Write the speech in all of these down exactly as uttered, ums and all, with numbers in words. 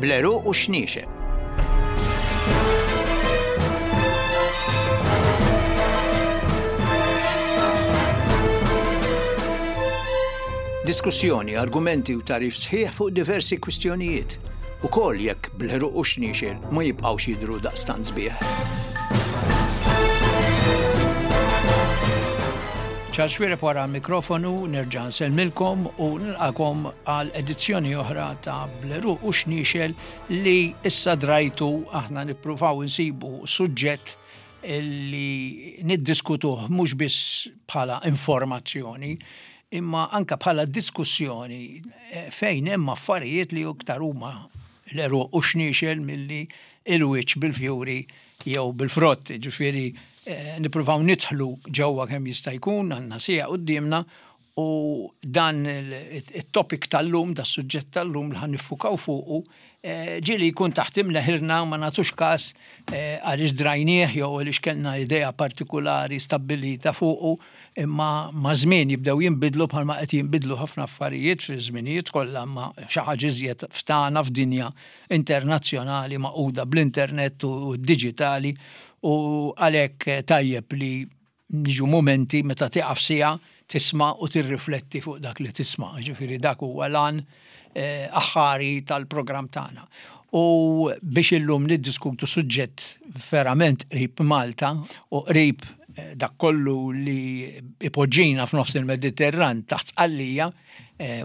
Bl-għeruq u x-xniexel. Diskussjoni, argumenti u tagħrif sħiħ fuq diversi kwistjonijiet. Ukoll jekk bl-għeruq u x-xniexel ma jibqgħux jidhru daqstant sbieħ. Charles Xuereb wara l-mikrofonu, nerġa' nsellmilkom u nilqakom għal edizzjoni oħra ta' Bl-għeruq u x-xniexel li issa drajtu aħna nippruvaw insibu suġġett li niddiskutuh mhux biss bħala informazzjoni, imma anka bħala diskussjoni fejn hemm affarijiet li iktar huma l-għeruq u x-xniexel milli il-wiċċ bil-fjuri jew bil-frott, ġifieri nippruvaw nidħlu ġewwa kemm jista' jkun, għandna siegħa quddiemna u dan it-topic tal-lum, da suġġett tal-lum li ħa niffukaw fuqu, ġieli jkun taħt imneħirna ma nagħtux każ għaliex drajnieh jew għaliex kellna idea partikulari stabbilita fuqu, imma ma' żmien jibdew jinbidlu bħalma qed jinbidlu ħafna affarijiet fi żminijiet kollha, ma xi ħaġa iżjed ftana f'dinja internazzjonali maquda bl-internet u d-diġitali, u għalhekk tajjeb li niġu momenti meta tieqaf siegħa tisma' u tirrifletti fuq dak li tisma'. Ġifieri dak huwa l-għan aħħari tal-programm tagħna. U biex illum niddiskutu suġġett verament qrib Malta u qrib dak kollu li ipoġġina f'nofs il-Mediterran taħt Sqallija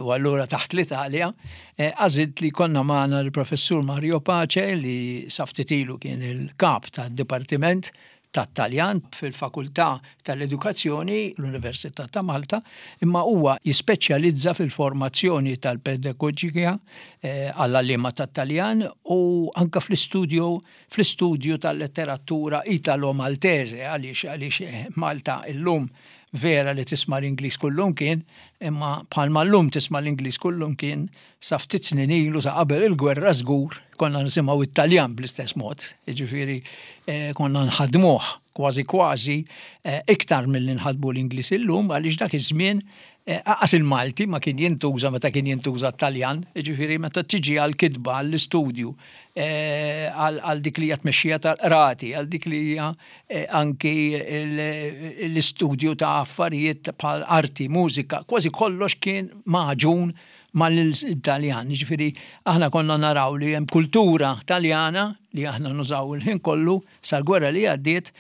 u allura taħt l-Italja, għażilt li konna magħna l-Professur Mario Pace li sa ftit ilu kien il-kap tad-Dipartiment tat-Taljan fil-Fakultà tal-Edukazzjoni l-Università ta' Malta, imma huwa jispeċjalizza fil-formazzjoni tal-pedagogika għall-għalliema tat-Taljan u anka fl-istudju fl-istudju tal-letteratura Italo-Maltese, għaliex għaliex Malta illum vera li tisma' l-Ingliż kullum kien, imma bħalma llum tisma' l-Ingliż kullum kien sa ftit snin ilu sa qabel il-gwerra żgur konna nisimgħu it-Taljan bl-istess mod, jiġifieri konna nħadmuh kważi kważi iktar milli nħadmu l-Ingliż illum, għaliex dak iż-żmien aqas il-Malti ma kien jintuża meta kien jintuża t-Taljan, jiġifieri meta tiġi għall-kitba, għall-istudju, għal dik li hija tmexxija tal-qrati, għal dik li hija anki l-istudju ta' affarijiet bħal arti, mużika, kważi kollox kien maġun mal-Italjan. Jiġifieri aħna konna naraw li hemm kultura Taljana li aħna nużaw il-ħin kollu sal-gwerra li għaddiet,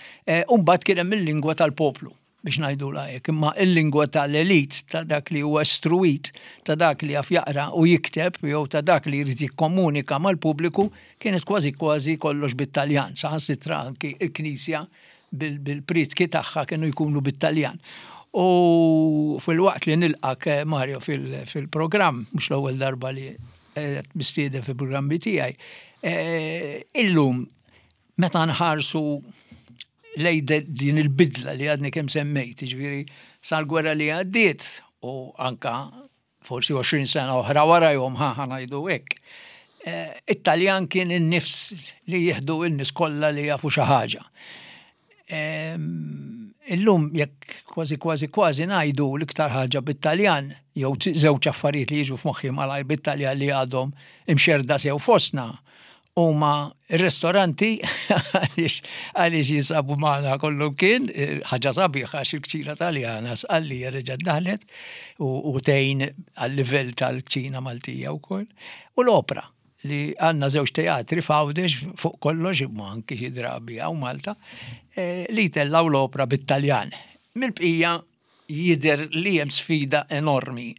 u mbagħad kien hemm il-lingwa tal-poplu, biex ngħidulha hekk, imma il-lingwa tal-elit, ta' dak li huwa istruit, ta' dak li jaf jaqra u jikteb, jew ta' dak li jrid jikkomunika mal-pubbliku, kienet kważi kważi kollox bit-Taljan, saħansitra anki il-Knisja bil-prietki tagħha kienu jkunu bit-Taljan. U fil-waqt li nilqak Mario fil-programm, mhux l-ewwel darba li qed mistieden fil-programmi tiegħi, illum meta nħarsu lej din il-bidla li għadni kemm semmejt, ġifieri sal-gwerra li għaddiet u anka forsi għoxrin sena oħra warajhom ħa ngħidu hekk, it-Taljan kien in-nifs li jieħdu n-nies kollha li jafu xi ħaġa. Illum jekk kważi kważi kważi ngħidu l-iktar ħaġa bit-Taljan, jew żewġ affarijiet li jiġu f'moħħi malajr bit-Taljan li għadhom imxerda sew fostna, huma r-ristoranti għaliex għaliex jinsabu magħna kollu kien, ħaġa sabiħa għax il-kċina Taljana Sqallija reġgħet daħlet u tgħin għal-livell tal-kċina Maltija wkoll. U l-opra li għandna żewġ teatri f'Għawdex fuq kollox, imma anki xi drabi hawn Malta, li jtellgħu l-opra bit-Taljan. Mill-bqija jidher li hemm sfida enormi.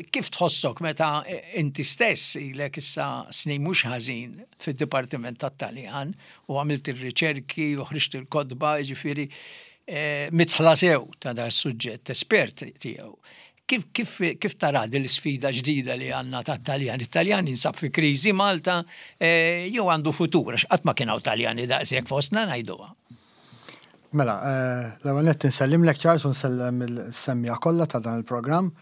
Kif tħossok meta inti stess ilek issa snin mhux ħażin fid-Dipartiment tat-Taljan u għamilt ir-riċerki u ħriġt il-kotba, jiġifieri midħla sew ta' dan is-suġġett, espert tiegħu. Kif, kif, kif tara din l-isfida ġdida li għandna tat-Taljan? It-Taljan jinsab fi kriżi Malta jew għandu futur, għax qatt ma kien hawn Taljani daqshekk fostna ngħiduha. Mela, l-ewwel nett insellimlek Charles u nsellem il-semmija kollha ta' dan il-programm.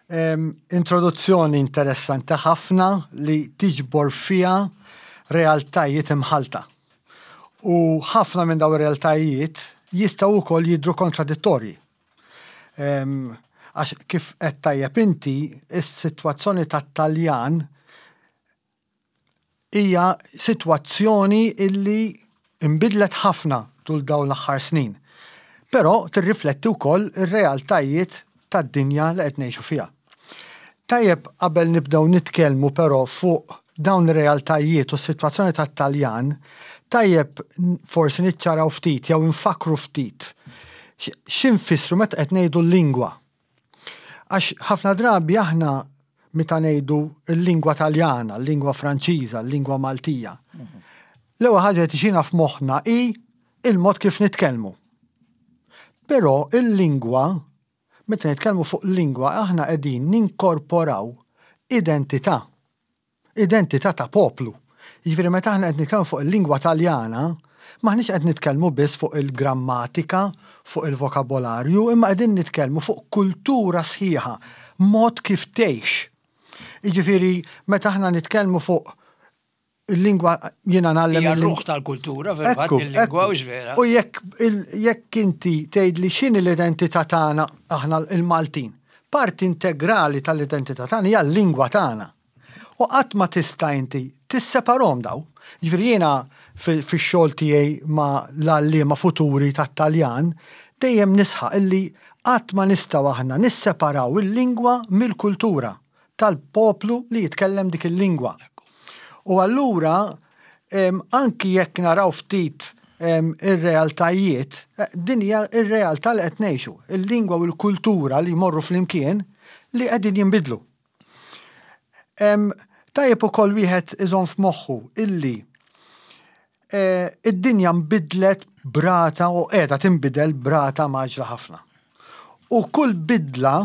Introduzzjoni interessanti ħafna li tiġbor fiha realtajiet imħalta. U ħafna minn dawn ir-realtajiet jistgħu wkoll jidhru kontradittorji. Għax kif qed tajjeb inti, is-sitwazzjoni tat-Taljan Hija sitwazzjoni illi imbidlet ħafna tul dawn l-aħħar snin. Però tirrifletti wkoll ir-realtajiet tad-dinja li qed ngħixu fiha. Tajjeb qabel nibdew nitkellmu però fuq dawn ir-realtajiet u s-sitwazzjoni tat-Taljan, tajjeb forsi niċċaraw ftit jew infakru ftit x'infissru meta qed ngħidu l-lingwa. Għax ħafna drabi aħna meta ngħidu l-lingwa Taljana, l-lingwa Franċiża, l-lingwa Maltija. L-ewwel ħaġa li tiġina f'moħħna hi il-mod kif nitkellmu. Però il-lingwa, meta nitkellmu fuq lingwa, aħna qegħdin ninkorporaw identità. Identità ta' poplu. Jiġifieri meta aħna qed nitkellmu fuq il-lingwa Taljana, m'aħniex qed nitkellmu biss fuq il-grammatika, fuq il-vokabolarju, imma qegħdin nitkellmu fuq kultura sħiħa, mod kif tgħix. Jiġifieri meta aħna nitkellmu fuq il-lingwa, jiena ngħallem il-ruħ tal-kultura, fil-fatt il-lingwa, u vera. U jekk jekk inti tgħidli x'inhi l-identità tagħna aħna il-Maltin, parti integrali tal-identità tagħna hija l-lingwa tagħna. U qatt ma tista' inti tisseparahom daw. Ġifieri jiena fix-xogħol tiegħi ma' l-għalliema futuri tat-Taljan dejjem nisħaq illi qatt ma nistgħu aħna nisseparaw il-lingwa mill-kultura tal-poplu li jitkellem dik il-lingwa. U allura anki jekk naraw ftit ir-realtajiet, eh, din hija ir-realtà li qed ngħixu, il-lingwa u l-kultura li jmorru flimkien li qegħdin jinbidlu. Tajjeb ukoll wieħed iżomm f'moħħu illi eh, id-dinja nbidlet b'rata u qiegħda tinbidel b'rata mgħaġġla ħafna. U kull bidla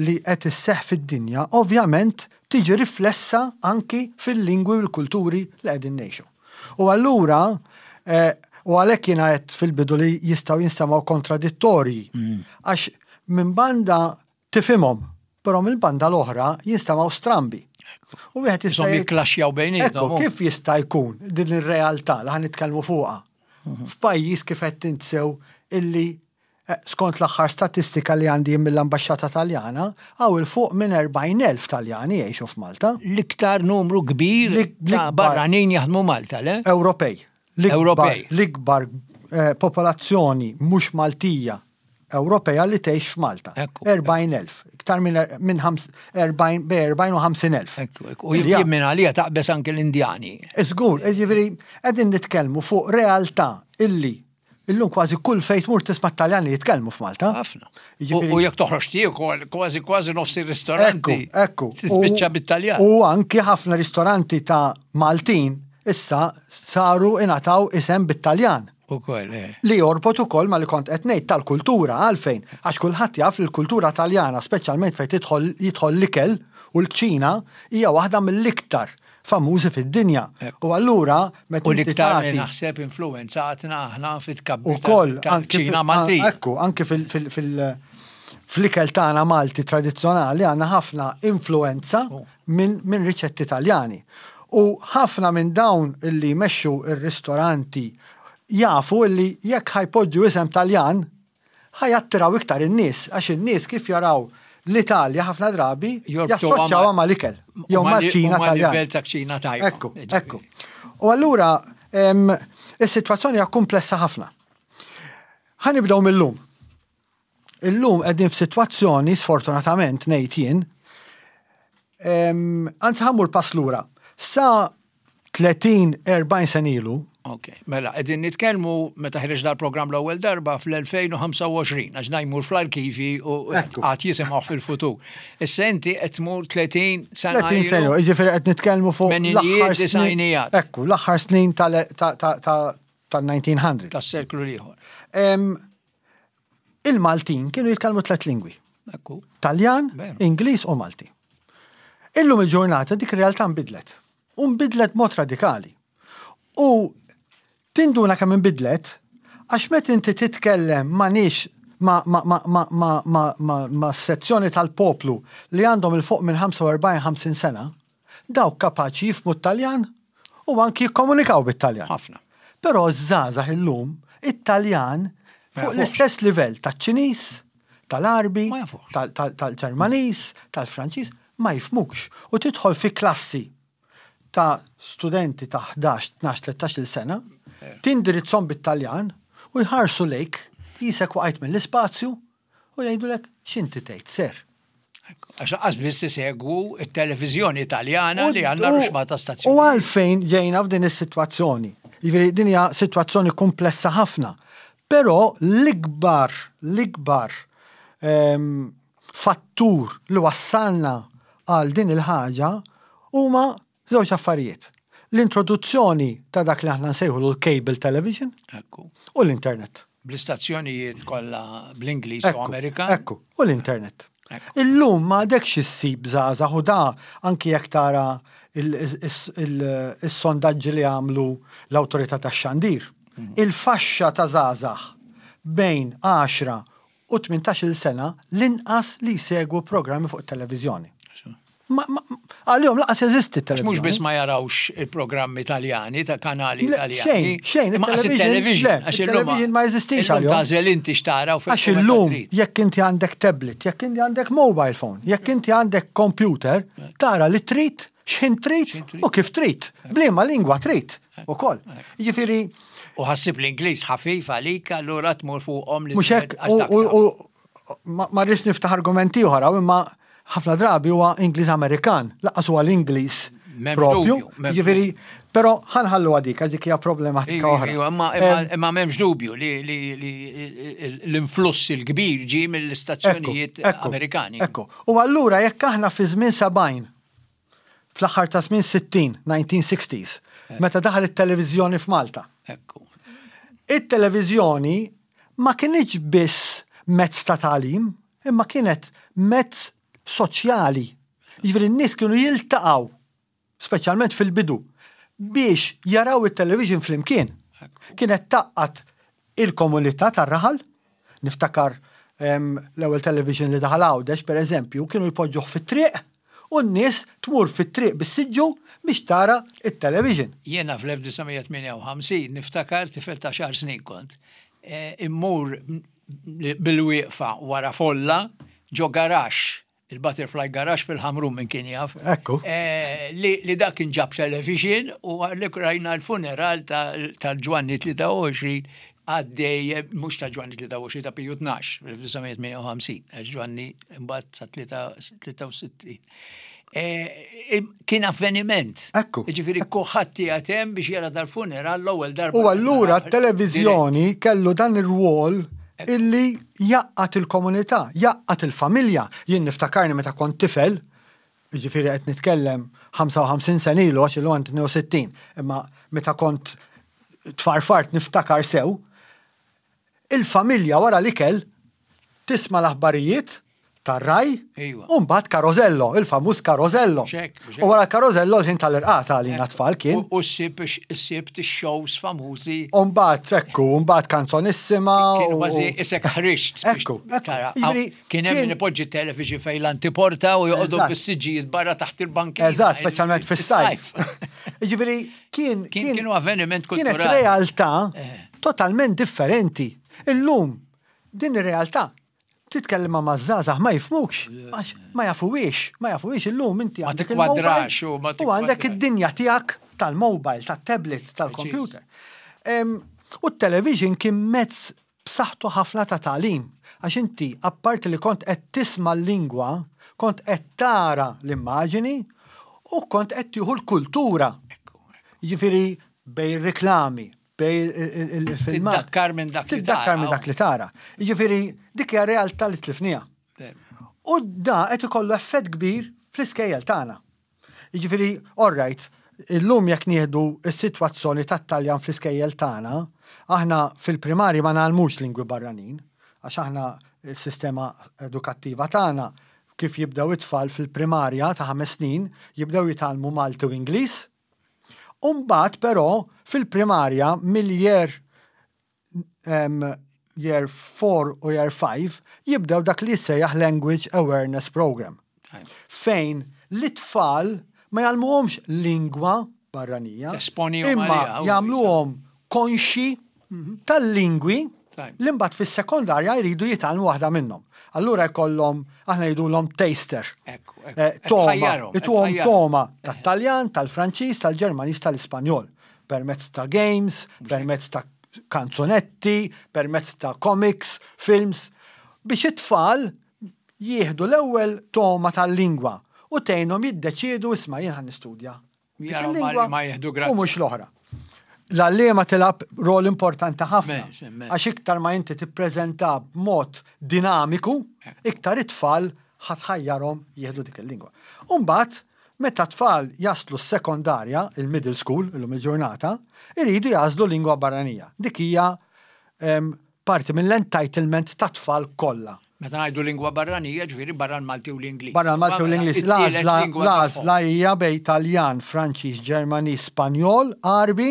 li qed isseħħ fid-dinja ovvjament tiġi riflessa anki fil-lingwi u l-kulturi li qegħdin ngħixu. U allura eh, u għalhekk jiena qed fil-bidu li jistgħu jinstemgħu kontradittorji. Mm. Għax minn banda tifhimhom, però mill-banda l-oħra jinstemgħu strambi. U wieħed jista' jikklaxxjaw bejniethom. Ekku, kif jista' jkun din ir-realtà li ħa nitkellmu fuqha? Mhm. F'pajjiż kif qed tinsew illi eh, skont l-aħħar statistika li għandi mill-Ambaxxata Taljana, hawn 'il fuq minn erbgħin elf Taljani jgħixu f'Malta. L-iktar numru kbir ta' barranin jaħdmu Malta, le? Ewropej. Ewropej. L-ikbar eh, popolazzjoni mhux Maltija Ewropea li tgħix f'Malta. erbgħin elf. Iktar minn minn erbgħin u ħamsin elf. U jien minn għalija taqbeż anke l-Indjani. Żgur, jiġifieri qegħdin nitkellmu fuq realtà illi illum kważi kull fejn tmur tisma' Taljani jitkellmu f'Malta. Ħafna. U jekk toħroġ tiekol kważi kważi nofs ir-ristoranti. Ekku, Tispiċċa bit-Taljan. U anki ħafna ristoranti ta' Maltin issa saru ingħataw isem bit-Taljan. Ukoll, eh. Li jorbot ukoll ma li kont qed ngħid tal-kultura. Għalfejn? Għax kulħadd jaf li l-kultura Taljana, speċjalment fejn tidħol jidħol l-ikel u l-kċina, hija waħda mill-iktar famużi fid-dinja. U allura meta U l-iktar li naħseb influenzatna aħna fit-tkabbir ukoll tal-kċina Maltija. Ekku, anki fil- fil- fil- fl-ikel tagħna Malti tradizzjonali għandna ħafna influenza oh. minn min riċetti Taljani. U ħafna minn dawn illi jmexxu ir-ristoranti jafu illi jekk ħa jpoġġu isem Taljan ħa jattiraw iktar in-nies, għax in-nies kif jaraw l-Italja ħafna drabi jassoċjawha mal-ikel jew mal-kċina Taljan. Livell ta' kċina tajba. Ekku, ekku. U allura is-sitwazzjoni hija komplessa ħafna. Ħa nibdew mill-lum. Illum qegħdin f'sitwazzjoni, sfortunatament ngħid jien, anzi ħa mmur pass lura. Sa tletin erbgħin sena ilu. Ok, mela, qegħdin nitkellmu meta ħreġ dal-programm l-ewwel darba fl-elfejn u ħamsa u għoxrin, għax ngħidu fl-arkivi u għad jisimgħu fil-futur. Issa inti qed tmur tletin sena. tletin sena, jiġifieri qed nitkellmu fuq l-aħħar snin. Ekku, l-aħħar snin tal-elf disa' mija. Tas-seklu l-ieħor. Il-Maltin kienu jitkellmu tliet lingwi. Ekku. Taljan, Ingliż u Malti. Illum il-ġurnata dik ir-realtà nbidlet. U nbidlet mod radikali. U tinduna kemm inbidlet għax meta inti titkellem ma' nies ma, ma, ma, ma, ma, ma, ma, ma sezzjoni tal-poplu li għandhom 'il fuq minn ħamsa u erbgħin ħamsin sena, dawk kapaċi jifhmu t-Taljan u anki jikkomunikaw bit-Taljan. Ħafna. Però ż-żgħażagħ illum it-Taljan fuq l-istess livell taċ-Ċiniż, tal-Arbi, tal-Ġermaniż, tal-Franċiż, ma jifhmux. U tidħol fi klassi ta' studenti ta' ħdax, tnax, tlettax-il sena, tindirizzhom bit-Taljan u jħarsu lejk qisek waqajt mill-ispazju u jgħidulek: "X'inti tgħid, sir?" Għax lanqas biss isegwu it-televiżjoni Italjana li għandna ruxxmata U stazzjoni. għalfejn ġejna f'din is-sitwazzjoni? Jiġifieri din hija sitwazzjoni komplessa ħafna. Però l-ikbar, l-ikbar ehm, fattur li wassalna għal din il-ħaġa huma żewġ affarijiet. L-introduzzjoni ta' dak li aħna nsejħu l-cable television Ekku. u l-internet. Bl-istazzjonijiet kollha bl-Ingliż u Ekku, Amerikan. Ekku, u l-internet. Ekku. Illum ma għadekx issib żgħażagħ, u da anki jekk tara il- il- il-sondaġġi li għamlu l-awtorità tax-xandir. Il-faxxa ta' żgħażagħ bejn għaxra u tmintax-il sena l-inqas li jsegwu programmi fuq it-televiżjoni. Ma, ma, għalihom lanqas jeżisti Mhux t-televiżjoni. biss ma jarawx il-programmi Italjani ta' kanali Le, Italjani. xejn, xejn, Ma qas il-television, il-television. le, Għax illum il-television ma jeżistix illum għalihom. Tagħżel inti x'tara u Għax illum, jekk inti għandek tablet, jekk inti għandek mobile phone, jekk inti għandek computer, tara li trid, x'ħin trid X'ħin trid. u kif trid, b'liema lingwa trid ukoll. Jiġifieri, U ħassib l-Ingliż ħafif għalik, allura tmur fuqhom li mhux hekk, u- u- u ma ma rridx niftaħ argumenti oħra, imma ħafna drabi huwa Ingliż Amerikan, lanqas huwa l-Ingliż M'hemmx propju. dubju, m'hemmx Jiġifieri, però ħa nħallu għadik, għax dik hija problematika oħra. Imma Em, imma m'hemmx dubju li li- li l-influss il-kbir ġi mill-istazzjonijiet Ekku, Amerikani. Ekku. U allura jekk aħna fi żmien sebgħin, fl-aħħar ta' żmien sittin, nineteen sixties, meta daħal it-televiżjoni f'Malta. Ekku. It-televiżjoni ma kienx biss mezz ta' tagħlim, imma kienet mezz soċjali. Jiġifieri n-nies kienu jiltaqgħu, speċjalment fil-bidu, biex jaraw it-television flimkien. Kienet tgħaqqad il-komunità tar-raħal, niftakar em, l-ewwel television li daħal Għawdex, per eżempju, kienu jpoġġuh fit-triq u n-nies tmur fit-triq bis-siġġu biex tara it-television. Jiena fl-elf disa' mija tmienja u ħamsin niftakar tifel ta' għaxar snin kont. eh, Immur bil-wieqfa wara folla ġo garaxx, il-Butterfly Garage fil-Ħamrun, minn kien jaf. Ekku. Eh, li, li dak kien ġab television u għalhekk rajna l-funeral tal-Ġwanni tlieta u għoxrin għaddej, mhux ta' Ġwanni tlieta u għoxrin, ta' Piju tnax, fl-elf disa' mija tmienja u ħamsin, għax Ġwanni mbagħad sa tlieta u sittin. Eh, Kien avveniment. Ekku. Ġifieri kulħadd qiegħed hemm biex jara dal-funeral l-ewwel darba. U allura t-televiżjoni kellu dan ir-rwol illi jgħaqqad il-komunità, jgħaqqad il-familja. Jien niftakarni meta kont tifel, ġifieri qed nitkellem ħamsa u ħamsin sena ilu, għax illum għandi tnejn u sittin, imma meta kont tfarfart niftakar sew, il-familja wara l-ikel tisma' l-aħbarijiet tar-RAI Iva. u mbagħad Carosello, il-famuż Carosello. Xek, xek. U wara Carosello l-ħin tal-irqad għalina tfal kien. U ssib issib shows famużi. U mbagħad ekku, u mbagħad Kanzonissima. Kien u- kważi isek ħriġt. biex Ekku, ekku. tara. Jiġifieri, Kien hemm kien- min ipoġġi television fejn l-antiporta u joqogħdu Eżatt. bis-siġġijiet barra taħt il-bankina. Eżatt, speċjalment fis-sajf. Jiġifieri kien Kien- kienu avveniment Kienet kulturali. realtà Eh. totalment differenti. Illum din ir-realtà titkellem ma' żgħażagħ ma jifhmukx, għax ma jafuwiex, ma jafuwiex. Illum inti Ma għandek il-mobile tikkwadrax u ma u għandek tikkwadrax. id-dinja tiegħek tal-mobile, tat-tablet, tal-computer. Em, U t-television kien mezz b'saħħtu ħafna ta' tagħlim. Għax inti, apparti li kont qed tisma' l-lingwa, kont qed tara l-immaġini u kont qed tieħu l-kultura. Ekku, ekku. Jiġifieri bejn reklami, bejn il-filmat. Tiddakkar minn dak li Tiddakkar tara. minn dak li tara. Jiġifieri dik hija realtà li tlifniha. U da qed ikollu effett kbir fl-iskejjel tagħna. Jiġifieri, all right, illum jekk nieħdu s-sitwazzjoni tat-Taljan fl-iskejjel tagħna, aħna fil-primarji ma ngħallmux lingwi barranin, għax aħna il-sistema edukattiva tagħna kif jibdew it-tfal fil-primarja ta' ħames snin, jibdew jitgħallmu Malti u Ingliż. Umbagħad però fil-primarja mill-year um, year four u year five jibdew dak li jissejjaħ Language Awareness Program, fejn l-tfal ma jgħallmuhomx lingwa barranija, Tesponihom imma għaliha, u jagħmluhom konxi tal-lingwi Li mbagħad fis-sekondarja jridu jitgħallmu waħda minnhom. Allura jkollhom, aħna ngħidulhom taster. Ekku, ekku. Eh, Togħma, Tħajjarhom, ituhom tħajjarhom. togħma tat-Taljan, tal-Franċiż, tal-Ġermaniż, tal-Ispanjol. Permezz ta' games, permezz ta' kanzunetti, permezz ta' comics, films, biex it-tfal jieħdu l-ewwel togħma tal-lingwa u tgħinhom jiddeċiedu, isma', jien ħa nistudja dik Jaraw ma- il-lingwa ma jieħdu grazzja. u mhux l-oħra. L-għalliema tilgħab rol importanti ħafna. Immens, immens. Għax iktar ma inti tippreżenta b'mod dinamiku, iktar it-tfal ħa tħajjarhom jieħdu dik il-lingwa. Umbagħad, meta tfal jaslu s-sekondarja, il-middle school, illum il-ġurnata, iridu jagħżlu lingwa barranija. Dik hija em, parti mill-entitlement ta' tfal kollha. Meta ngħidu lingwa barranija, ġifieri barra l-Malti u l-Ingliż. Barra l-Malti u l-Ingliż. It-tielet L-għażla lingwa l-għażla tagħhom. hija bejn Taljan, Franċiż, Ġermaniż, Spanjol, Għarbi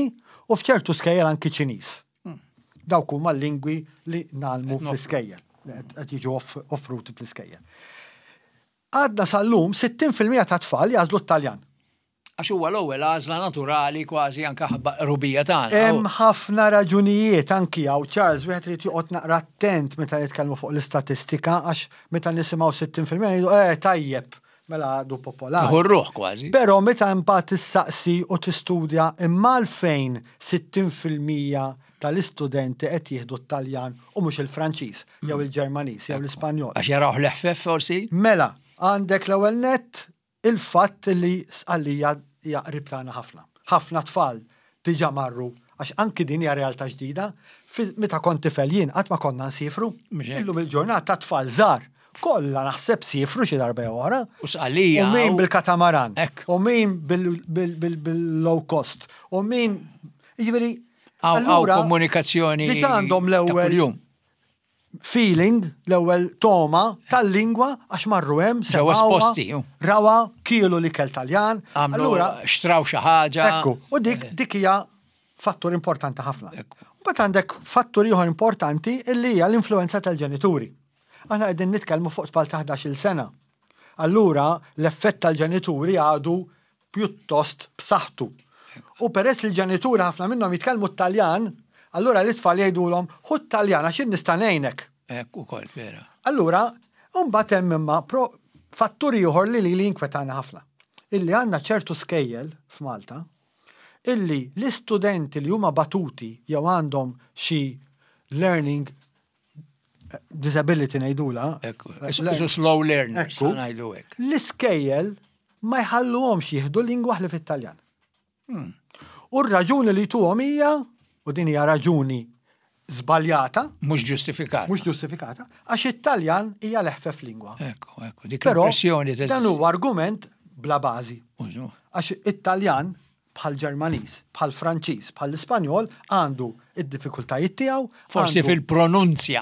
u f'ċertu skejjel anki Ċiniż. Dawk huma l-lingwi li ngħallmu fl-iskejjel, li qed qed jiġu off- offruti fl-iskejjel. Għadna sal-lum sittin fil-mija ta' tfal jagħżlu t-Taljan. Għax huwa l-ewwel għażla naturali kważi anke ħabba qrubija tagħna. Hemm ħafna raġunijiet anki hawn, Charles, wieħed irid joqgħod naqra attent meta nitkellmu fuq l-istatistika, għax meta nisimgħu sittin fil-mija ngħidu eh tajjeb, mela għadu popolari. Tieħu r-ruħ kważi. Però meta mbagħad tissaqsi u tistudja imma għalfejn sittin fil-mija tal-istudenti qed jieħdu t-Taljan u mhux il-Franċiż jew il-Ġermaniż jew l-Ispanjol. Għax jaraw l-eħfef forsi. Mela, għandek l-ewwel nett il-fatt li Sqallija hija qrib tagħna ħafna. Ħafna tfal diġà marru, għax anki din hija realtà ġdida. Fi- Meta kont tifel jien qatt ma konna nsifru. Mhux hekk. Illum il-ġurnata tfal żgħar kollha naħseb sifru xi darba jew oħra. U Sqallija. U min u- bil-katamaran. Ekk. U min bil-low cost. U min, jiġifieri, Hawn hawn allura, komunikazzjoni diġà għandhom ta' l-ewwel kuljum. feeling, l-ewwel togħma tal-lingwa għax marru hemm, Ġew semgħuha, esposti, ju. rawa, kielu l-ikel Taljan. Għamlu Allura, xtraw xi ħaġa. ekku, u dik dik hija fattur importanti ħafna. Ekku. U mbagħad għandek fattur ieħor importanti illi hija l-influenza tal-ġenituri. Aħna qegħdin nitkellmu fuq tfal ta' ħdax-il sena. Allura l-effett tal-ġenituri għadu pjuttost b'saħħtu. U peress li l-ġenituri ħafna minnhom jitkellmu t-Taljan, allura l-itfal jgħidulhom ħu t-Taljan għax jien nista' ngħinek. Ekku ukoll, vera. Allura, mbagħad hemm imma pro fattur ieħor li li li jinkwetana ħafna. Illi għandna ċertu skejjel f'Malta illi l-istudenti li huma batuti jew għandhom xi learning eh, disability ngħidula. Ekku. eh, Isu slow learners, Ekku. ngħidu hekk. L-iskejjel ma jħalluhomx jieħdu lingwa ħlief it-Taljan. U r-raġuni li tuhom hija, u din hija raġuni żbaljata, Mhux ġustifikat. mhux ġustifikata, għax it-Taljan hija l-eħfef lingwa. Ekku, ekku, dik Però l-impressjoni dan huwa argument bla bażi. Użu. Għax it-Taljan bħal Ġermaniż, bħal Franċiż, bħal Ispanjol għandu id-diffikultajiet tiegħu. Forsi għandu fil-pronunzja.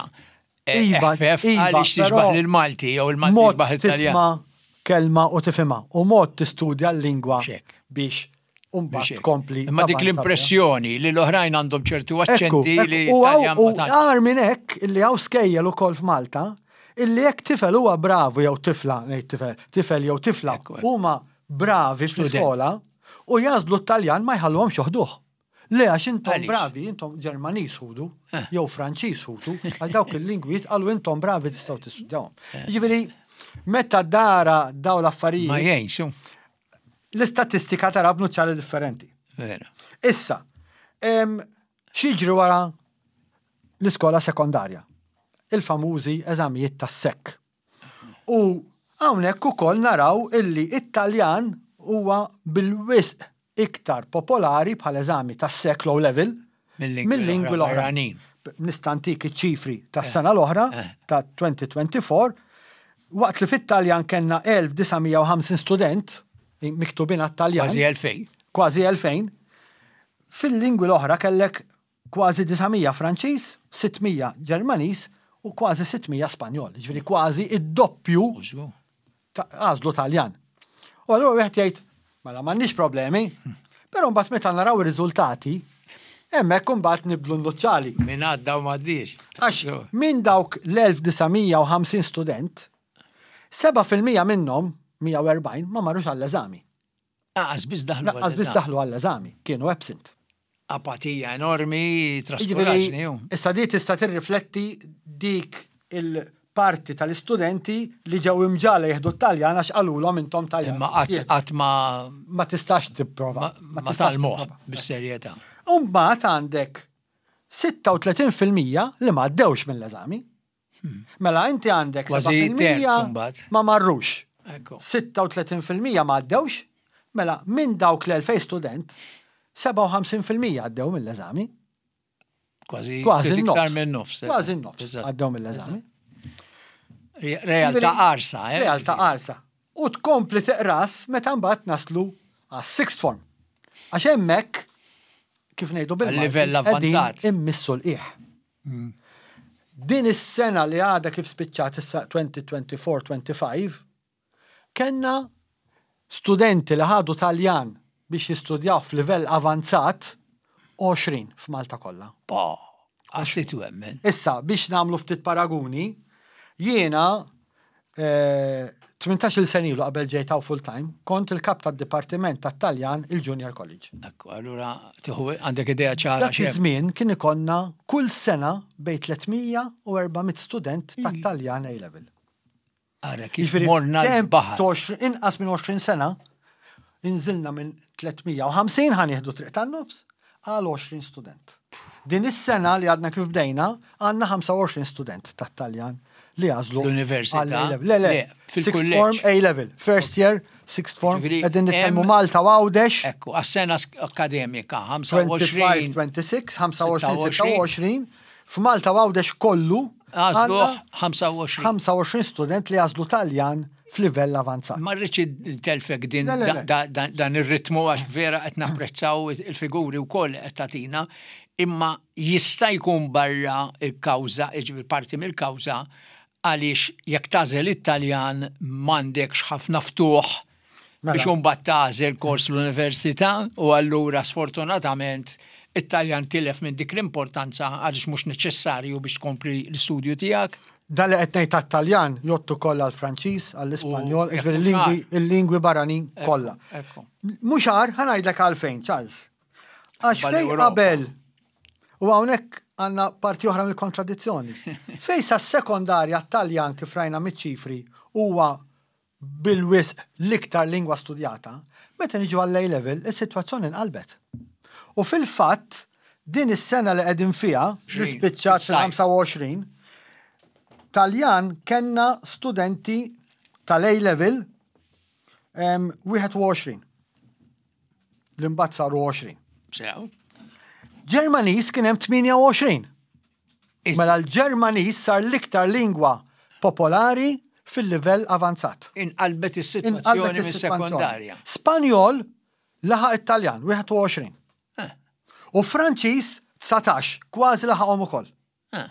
eh, Iva, Eħfef iva, għaliex però tixbaħ lill-Malti jew il-Malti mod jixbaħ it-Taljan. tisma' kelma u tifhimha u mod tistudja l-lingwa Xek. biex Biex mbagħad hekk. tkompli. Imma dik tavanza. l-impressjoni li l-oħrajn għandhom ċertu Ekku, aċċenti ekku, li u għaw- Taljan u ma tantx. għar minn hekk illi hawn skejjel ukoll f'Malta illi jekk tifel huwa bravu jew tifla, ngħid tifel, tifel jew tifla Ekku, ekku. huma bravi fl-iskola u jagħżlu t-Taljan, ma jħalluhomx joħduh. Le, għax intom Għaliex? bravi, intom Ġermaniż ħudu, Eh. jew Franċiż ħudu, għal dawk il-lingwi jitqalu intom bravi tistgħu tistudjawhom. Jiġifieri, meta dara daw Ma l-affarijiet, jgħinx, u. l-istatistika tara b'nuċċali differenti. Vera. Issa, em, x'jiġri wara l-iskola sekondarja? Il-famużi eżamijiet tas-S E C. U hawnhekk ukoll naraw illi it-Taljan huwa bil-wisq iktar popolari bħal eżami tas-S E C low level Mill-lingwi mill-lingwi l-oħra l-oħra. barranin. Nista' ntik iċ-ċifri tas-sena l-oħra Eh. ta' elfejn u erbgħa u għoxrin, waqt li fit-Taljan kellna elf disa' mija u ħamsin student miktubin għat-Taljan. Kważi elfejn. Kważi elfejn. Fil-lingwi l-oħra kellek kważi disa' mija Franċiż, sitt mija Ġermaniż u kważi sitt mija Spanjol. Ġifieri kważi id-doppju Użgu. ta' għażlu Taljan. U allura wieħed jgħid, mela m'għandniex problemi, però mbagħad meta naraw ir-riżultati, hemmhekk imbagħad nibdlu n-nuċċali. Min għadda u m'għaddiex. Għax minn dawk l-elf disa' mija u ħamsin student, seba' fil-mija minnhom, mija u erbgħin, ma marrux għall-eżami. Lanqas biss daħlu. Lanqas biss għall-eżami. daħlu għall-eżami, kienu absent. Apatija enormi, traskuraġni. Issa di tista' tirrifletti dik il-parti tal-istudenti li ġew imġagħla jieħdu t-Taljan għax qalulhom intom Taljan. Imma qatt ma ma tistax tipprova. Ma tgħallmuh bis-serjetà. U mbagħad għandek sitta u tletin fil-mija li ma għaddewx mill-eżami. Hmm. Mela inti għandek sebgħa fil-mija ma marrux. sitta u tletin fil-mija ma għaddewx, mela minn dawk l-elfejn student, sebgħa u ħamsin fil-mija għaddew mill-eżami. Kważi kważi n-nofs. Minn nofs. Kważi n-nofs għaddew mill-eżami. Realtà qarsa, eh? Realtà qarsa. U tkompli teqras meta mbagħad naslu għas sixth form. Għax hemmhekk, kif ngħidu bil Livell avvanzat. Immissu l-qiegħ. Hmm. Din is-sena li għadha kif spiċċat issa, elfejn u erbgħa u għoxrin ħamsa u għoxrin, kellna studenti li ħadu Taljan biex jistudjaw f'livell avanzat għoxrin f'Malta kollha. Pa, għax li twemmen. Issa, biex nagħmlu ftit paraguni, jiena eh, tmintax-il sena ilu, qabel ġejt hawn full time, kont il-kap tad-Dipartiment tat-Taljan il-Junior College. Ekku, allura tieħu għandek idea ċara. Dak iż-żmien kien ikollna kull sena bejn tliet mija u erba' mitt student tat-Taljan A-level. Ara kif morna l-baħar. Inqas minn għoxrin sena, inżilna minn tliet mija u ħamsin, ħa nieħdu triq tan-nofs, għal għoxrin student. Din is-sena li għadna kif bdejna, għandna ħamsa u għoxrin student tat-Taljan li għażlu. L-università? Le, le, sixth form A-level. First year, sixth form. Qegħdin nitkellmu Malta u Għawdex. Ekku, għas-sena akademika, ħamsa u għoxrin. ħamsa u għoxrin, ħamsa u għoxrin, sitta u għoxrin. F'Malta u Għawdex kollu. Għażlu ħamsa u għoxrin. ħamsa u għoxrin student li għażlu Taljan f'livell avanzat. Ma rridx telfek din dan ir-ritmu għax vera qed napprezzaw il-figuri wkoll qed tagħtina, imma jista' jkun barra il-kawża, jiġifieri parti mill-kawża, għaliex jekk tagħżel it-Taljan m'għandekx ħafna ftuħ mela biex imbagħad tagħżel kors l-università u allura sfortunatament it-Taljan tilef minn dik l-importanza għaliex mhux neċessarju biex tkompli l-istudju tiegħek. Dan li qed ngħid tat-Taljan jgħoddu kollha għall-Franċiż, għall-Ispanjol, jiġifieri il-lingwi barranin kollha. Mhux għar, ħa ngħidlek għalfejn, Charles. Għax fej qabel u hawnhekk għandna parti oħra mill-kontradizzjoni. Fej sa sekondarja Taljan, kif rajna miċ-ċifri, huwa bil-wisq l-iktar lingwa studjata, meta niġu għall level is-sitwazzjoni nqalbet. U fil-fatt, din is-sena li qegħdin fiha, li spiċċat fil-ħamsa u għoxrin, Taljan kellna studenti tal-A level wieħed u għoxrin. L-imbat saru għoxrin. Sew. Ġermaniż kien hemm tmienja u għoxrin. Mela l-Ġermaniż sar l-iktar lingwa popolari fil-livell avanzat. Inqalbet is-sitwazzjoni mis-sekondarja. Spanjol laħaq it-Taljan, wieħed u għoxrin. Eh. U Franċiż dsatax, kważi laħaqhom ukoll. Eh.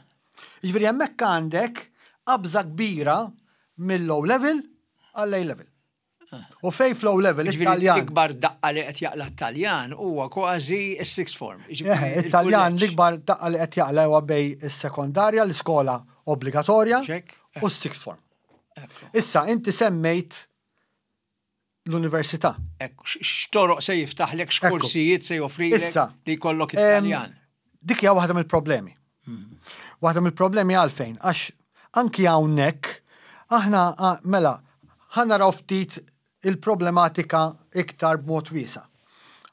Jiġifieri hemmhekk għandek qabża kbira mill-O level għall-A level. U fej fl-O level it-Taljan. L-ikbar daqqa li qed jaqla t-Taljan huwa kważi s-sixth form. It-Taljan l-ikbar daqqa li qed jaqla huwa bejn is-sekondarja, l-iskola obbligatorja, u s-sixth form. Issa, inti semmejt l-università. Ekku, x'toroq se jiftaħlek, x'korsijiet se joffrilek li jkollok it-Taljan? Dik hija waħda mill-problemi. Hmm. Waħda mill-problemi għalfejn, għax anki hawnhekk aħna, mela, ħa naraw ftit il-problematika iktar b'mod wiesa'.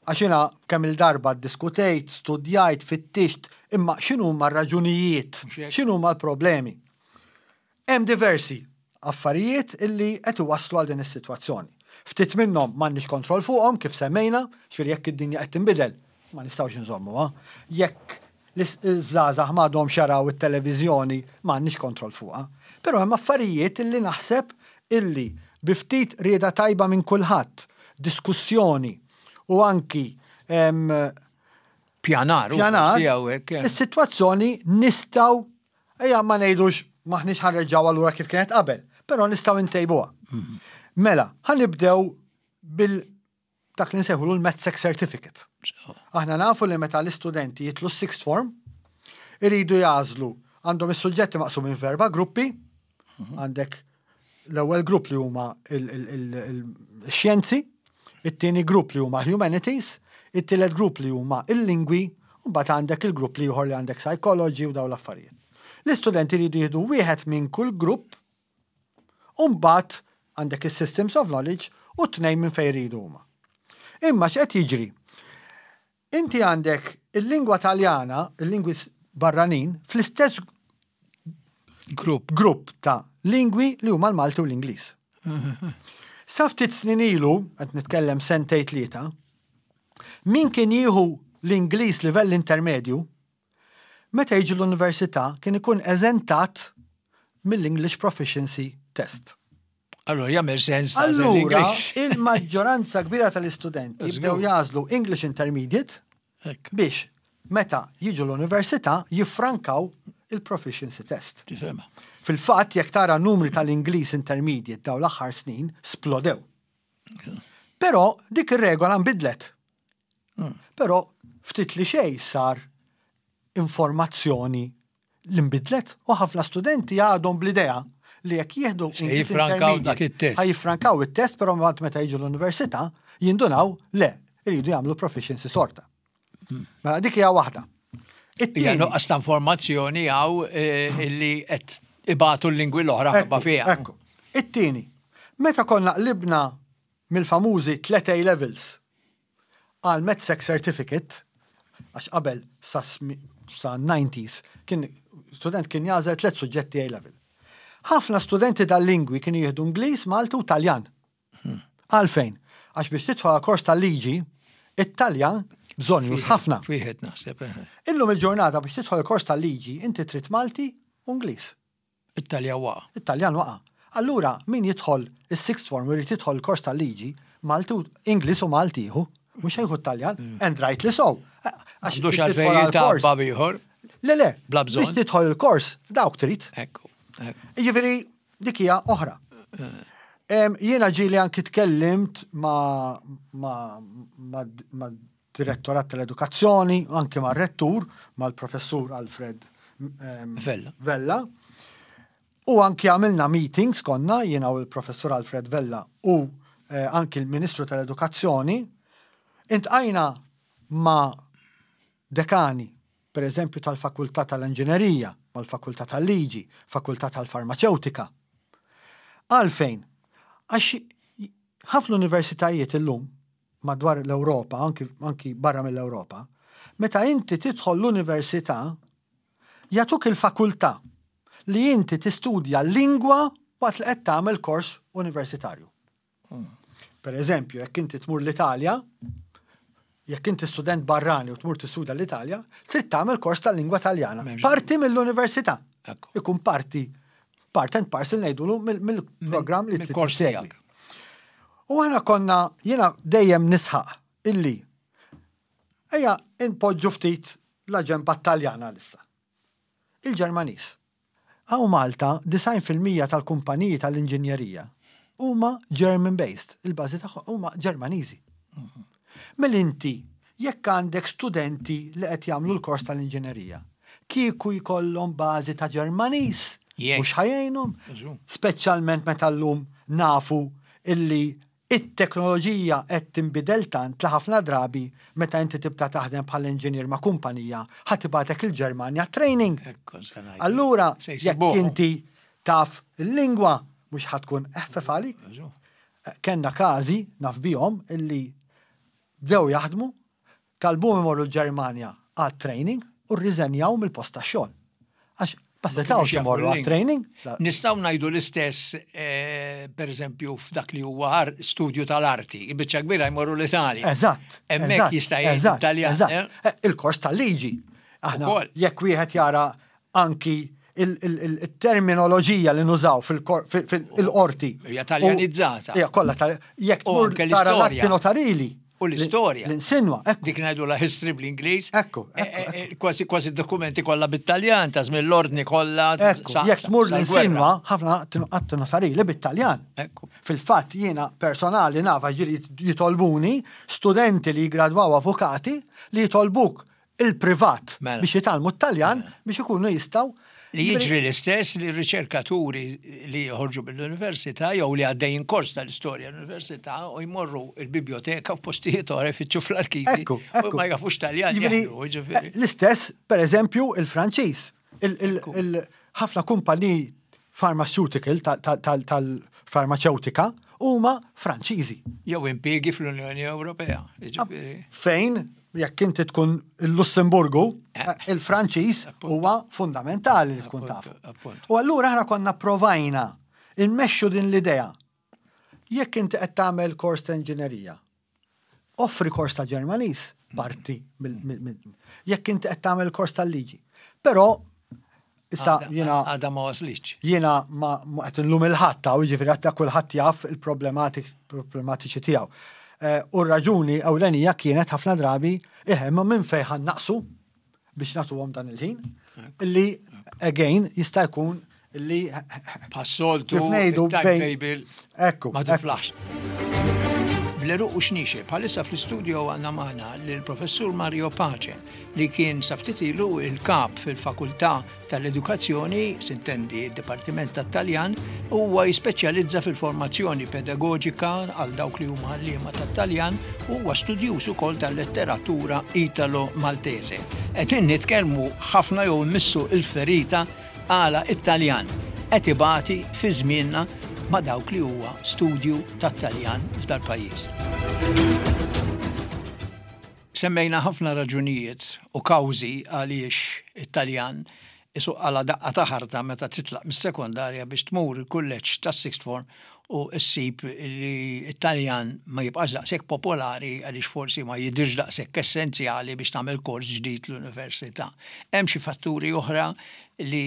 Għax jiena kemm il-darba diskutejt, studjajt, fittixt, imma x'inhu ma raġunijiet, x'inhu ma l-problemi. Hemm diversi affarijiet illi qed iwasslu għal din is-sitwazzjoni. Ftit minnhom m'għandniex kontroll fuqhom, kif semmejna, ġifieri jekk id-dinja qed tinbidel, ma nistgħux nżommuha. Jekk l-żgħażagħ m'għadhomx jaraw it-televiżjoni, m'għandniex kontroll fuqha. Però hemm affarijiet illi naħseb illi bi ftit rieda tajba minn kulħadd, diskussjoni u anki pjanar, pjanar, is-sitwazzjoni nistgħu, ejja ma ngħidux maħniex ħa nreġgħu allura kif kienet qabel, però nistgħu ntejbuha. Mhm. Mela, ħa nibdew bil dak li nsejħulu l-MATSEC Certificate. Aħna nafu li meta l-istudenti jitilgħu sixth form, iridu jagħżlu, għandhom is-suġġetti maqsumin f'erba' gruppi, mhm. għandek l-ewwel grupp li huma il-xjenzi, it-tieni grupp li huma humanities, It-tielet grupp li huma il-lingwi, u mbagħad għandek il-grupp l-ieħor li għandek psychology u dawn l-affarijiet. L-istudenti jridu jieħdu wieħed minn kull grupp, u mbagħad għandek is-systems of knowledge u tnejn minn fejn jridu huma. Imma x'qed jiġri? Inti għandek il-lingwa Taljana, il-lingwi barranin, fl-istess Grupp. grupp ta' lingwi li huma l-Malti u l-Ingliż. Sa ftit snin ilu, qed nitkellem sentejn tlieta, min kien jieħu l-Ingliż livell intermedju, meta jiġi l-università kien ikun eżentat mill-English Proficiency Test. Allora, jagħmel sens ta' Allura, l-Ingliż. il-maġġoranza kbira tal-istudenti Żgur. bdew jagħżlu English Intermediate Ekk, biex meta jiġu l-università jiffrankaw il-Proficiency Test. tifhemha. Fil-fatt, jekk tara numri tal-Ingliż Intermediate daw l-aħħar snin, splodew. Però dik ir-regola nbidlet. Però ftit li xejn sar informazzjoni li nbidlet u ħafna studenti għadhom bl-idea li jekk jieħdu Se English jiffrankaw dak Intermediate, it-test. ħa jiffrankaw it-test, però mbagħad meta jiġu l-università jindunaw le, iridu jagħmlu proficiency sorta. Mela dik hija waħda. Hija It-tieni- nuqqas ta' informazzjoni hawn eh, illi qed ibatu l-lingwi l-oħra ħabba fiha. Ekku. It-tieni, meta konna qlibna mill-famużi tlet A levels għal MATSEC Certificate, għax qabel sa, smi- sa nineties, kien student kien jagħżel tliet suġġetti A level. Ħafna studenti dal-lingwi kienu jieħdu Ingliż, Malti u Taljan. Għalfejn? Għax biex tidħol għal kors tal-liġi, it-Taljan bżonjuż ħafna. Wieħed naħseb. eh. Illum il-ġurnata biex tidħol kors tal-liġi, inti trid Malti u Ingliż. It-Taljan waqa'. It-Taljan waqa'. Allura, min jidħol is-sixth form u jrid jidħol kors tal-liġi, Malti u Ingliż u Malti jieħu, mhux jieħu Taljan, and rightly so. Għax Għandux biex għalfejn tidħol għal-kors. jitgħabba b'ieħor. Le, le, Bla bżonn. biex tidħol il-kors, dawk trid. Ekku. ekku. Jiġifieri dik hija oħra. Em, Jiena ġieli anki tkellimt ma, ma, ma, ma direttorat tal-edukazzjoni, anki ma' rettur, mal-professur Alfred em, Vella. Vella. U anki għamilna meetings konna, jiena u l-professur Alfred Vella u eh, anki l-Ministru tal-Edukazzjoni, iltqajna ma' dekani, per eżempju tal-Fakultà tal-Inġinerija, mal-Fakultà tal-Liġi, Fakultà tal-Farmaceutika. Għalfejn? Għax ħafna universitajiet illum madwar l-Ewropa, anki, anki barra mill-Ewropa, meta inti tidħol l-università, jagħtuk il-fakultà li inti tistudja lingwa waqt li qed tagħmel kors universitarju. Per eżempju, jekk inti tmur l-Italja, jekk inti student barrani u tmur tistudja l-Italja, trid tagħmel kors tal-lingwa Taljana. M'hemmx Parti mill-università. Ekku. Ikun parti, part and parcel ngħidulu mill- mill-programm li trid Mill-kors tissegwi. tiegħek. U aħna konna, jiena dejjem nisħaq illi ejja inpoġġu ftit la ġenba Taljana issa. Il-Ġermaniż. Hawn Malta, disgħin fil-mija tal-kumpaniji tal-inġinjerija huma German-based, il-bażi tagħhom huma Ġermaniżi. Mela inti, jekk għandek studenti li qed jagħmlu l-kors tal-inġinerija, kieku jkollhom bażi ta' Ġermaniż, Jekk. mhux ħa jgħinhom, Żgur. speċjalment meta llum nafu illi it-teknoloġija qed tinbidel tant li ħafna drabi meta inti tibda taħdem bħal inġinier ma' kumpanija ħa tibagħtek il-Ġermanja training. Ekku, se ngħid. Allura, Se jekk jsibuhom. inti taf il-lingwa mhux ħa tkun eħfef għalik. Żgur. Kenna każi naf bihom illi bdew jaħdmu, talbuhom imorru l-Ġermanja għal training u rriżenjaw mill-post tax-xogħol. Għax ma setgħux kinux jafu imorru għal l-lingwa. training. La- Nistgħu ngħidu l-istess, eh, per eżempju, f'dak li huwa ar- studju tal-arti. Il-biċċa kbira jmorru l-Italja. Eżatt. Hemmhekk eżatt, jista' jgħid eżatt, Italjan. eżatt. eh? Eh, Il-kors tal-liġi. Aħna Ukoll. jekk wieħed jara anki il- il- il- il-terminoloġija li nużaw fil-qorti. Hija taljanizzata. Hija kollha tal- jekk U tmur anke tara l-istorja. l-atti notarili. U l-istorja. L-insinwa, ekku. Dik ngħidu la history bl-Ingliż. Ekku, Eh, ekku, eh, eh, Kważi kważi dokumenti kollha bit-Taljan, ta' żmien l-ordni kollha. Ekku, sa- jekk sa- tmur sal-gwerra. l-insinwa, ħafna atti notarili bit-Taljan. Ekku. Fil-fatt jiena personali nafa ġiri jitolbuni studenti li jgradwaw avukati li jitolbuk il-privat Mela. biex jitgħallmu t-Taljan biex ikunu jistgħu. Li jiġri l-istess li riċerkaturi li joħorġu mill-università jew li għaddejjin kors tal-istorja l-università u jmorru il-biblioteka f'postijiet oħra jfittxu fl-arkivi. Ekku, u ekku. ma jafux Taljan Jiġifieri, jaħlu, jiġifieri. L-istess, per eżempju, il-Franċiż. Il- il- il- Ħafna kumpaniji pharmaceutical tal-farmaceutika huma Franċiżi. Jew impjiegi fl-Unjoni Ewropea. Jiġifieri. Fejn, jekk inti tkun il-Lussemburgu, Eh. il-Franċiż huwa fundamentali li tkun Appunto, tafu. appunto. U allura aħna konna provajna immexxu din l-idea. Jekk inti qed tagħmel kors ta' inġinerija, offri kors ta' Ġermaniż parti mill- mill- mill- jekk inti qed tagħmel kors tal-liġi. Però issa Għada- jiena Għada ma waslitx. jiena ma ma qed nlum il-ħadd ta' jiġifieri qed kulħadd jaf il-problematik problematiċi tiegħu. Eh, U r-raġuni ewlenija kienet ħafna drabi eħe ma minn fejn ħa naqsu biex nagħtuhom dan il-ħin illi again jista' jkun illi Bħas-soltu, Kif ngħidu bejn- il-timetable Ekku, ma ekku. tiflaħx. Bl-għeruq u xniexel, bħalissa fl-istudio għandna magħna l-professur Mario Pace li kien sa ftit ilu il-kap fil-fakultà tal-edukazzjoni, sintendi il-Dipartiment tat-Taljan, u huwa jispeċjalizza fil-formazzjoni pedagogika għal dawk li huma għalliema tat-Taljan u huwa studjuż ukoll tal-letteratura Italo-Maltese. Qed nitkellmu ħafna jew immissu il-ferita għala it-Taljan qed ibati fi żmienna ma' dawk li huwa studju tat-Taljan f'dal-pajjiż. Semmejna ħafna raġunijiet u kawżi għaliex it-Taljan isuq għala daqqa ta' ħarta meta titlaq mis-sekondarja biex tmur il-kulleġġ tas-sixth form u ssib li it-Taljan ma jibqax daqshekk popolari għaliex forsi ma jidirx daqshekk essenzjali biex tagħmel kors ġdid l-università. Hemm xi fatturi oħra li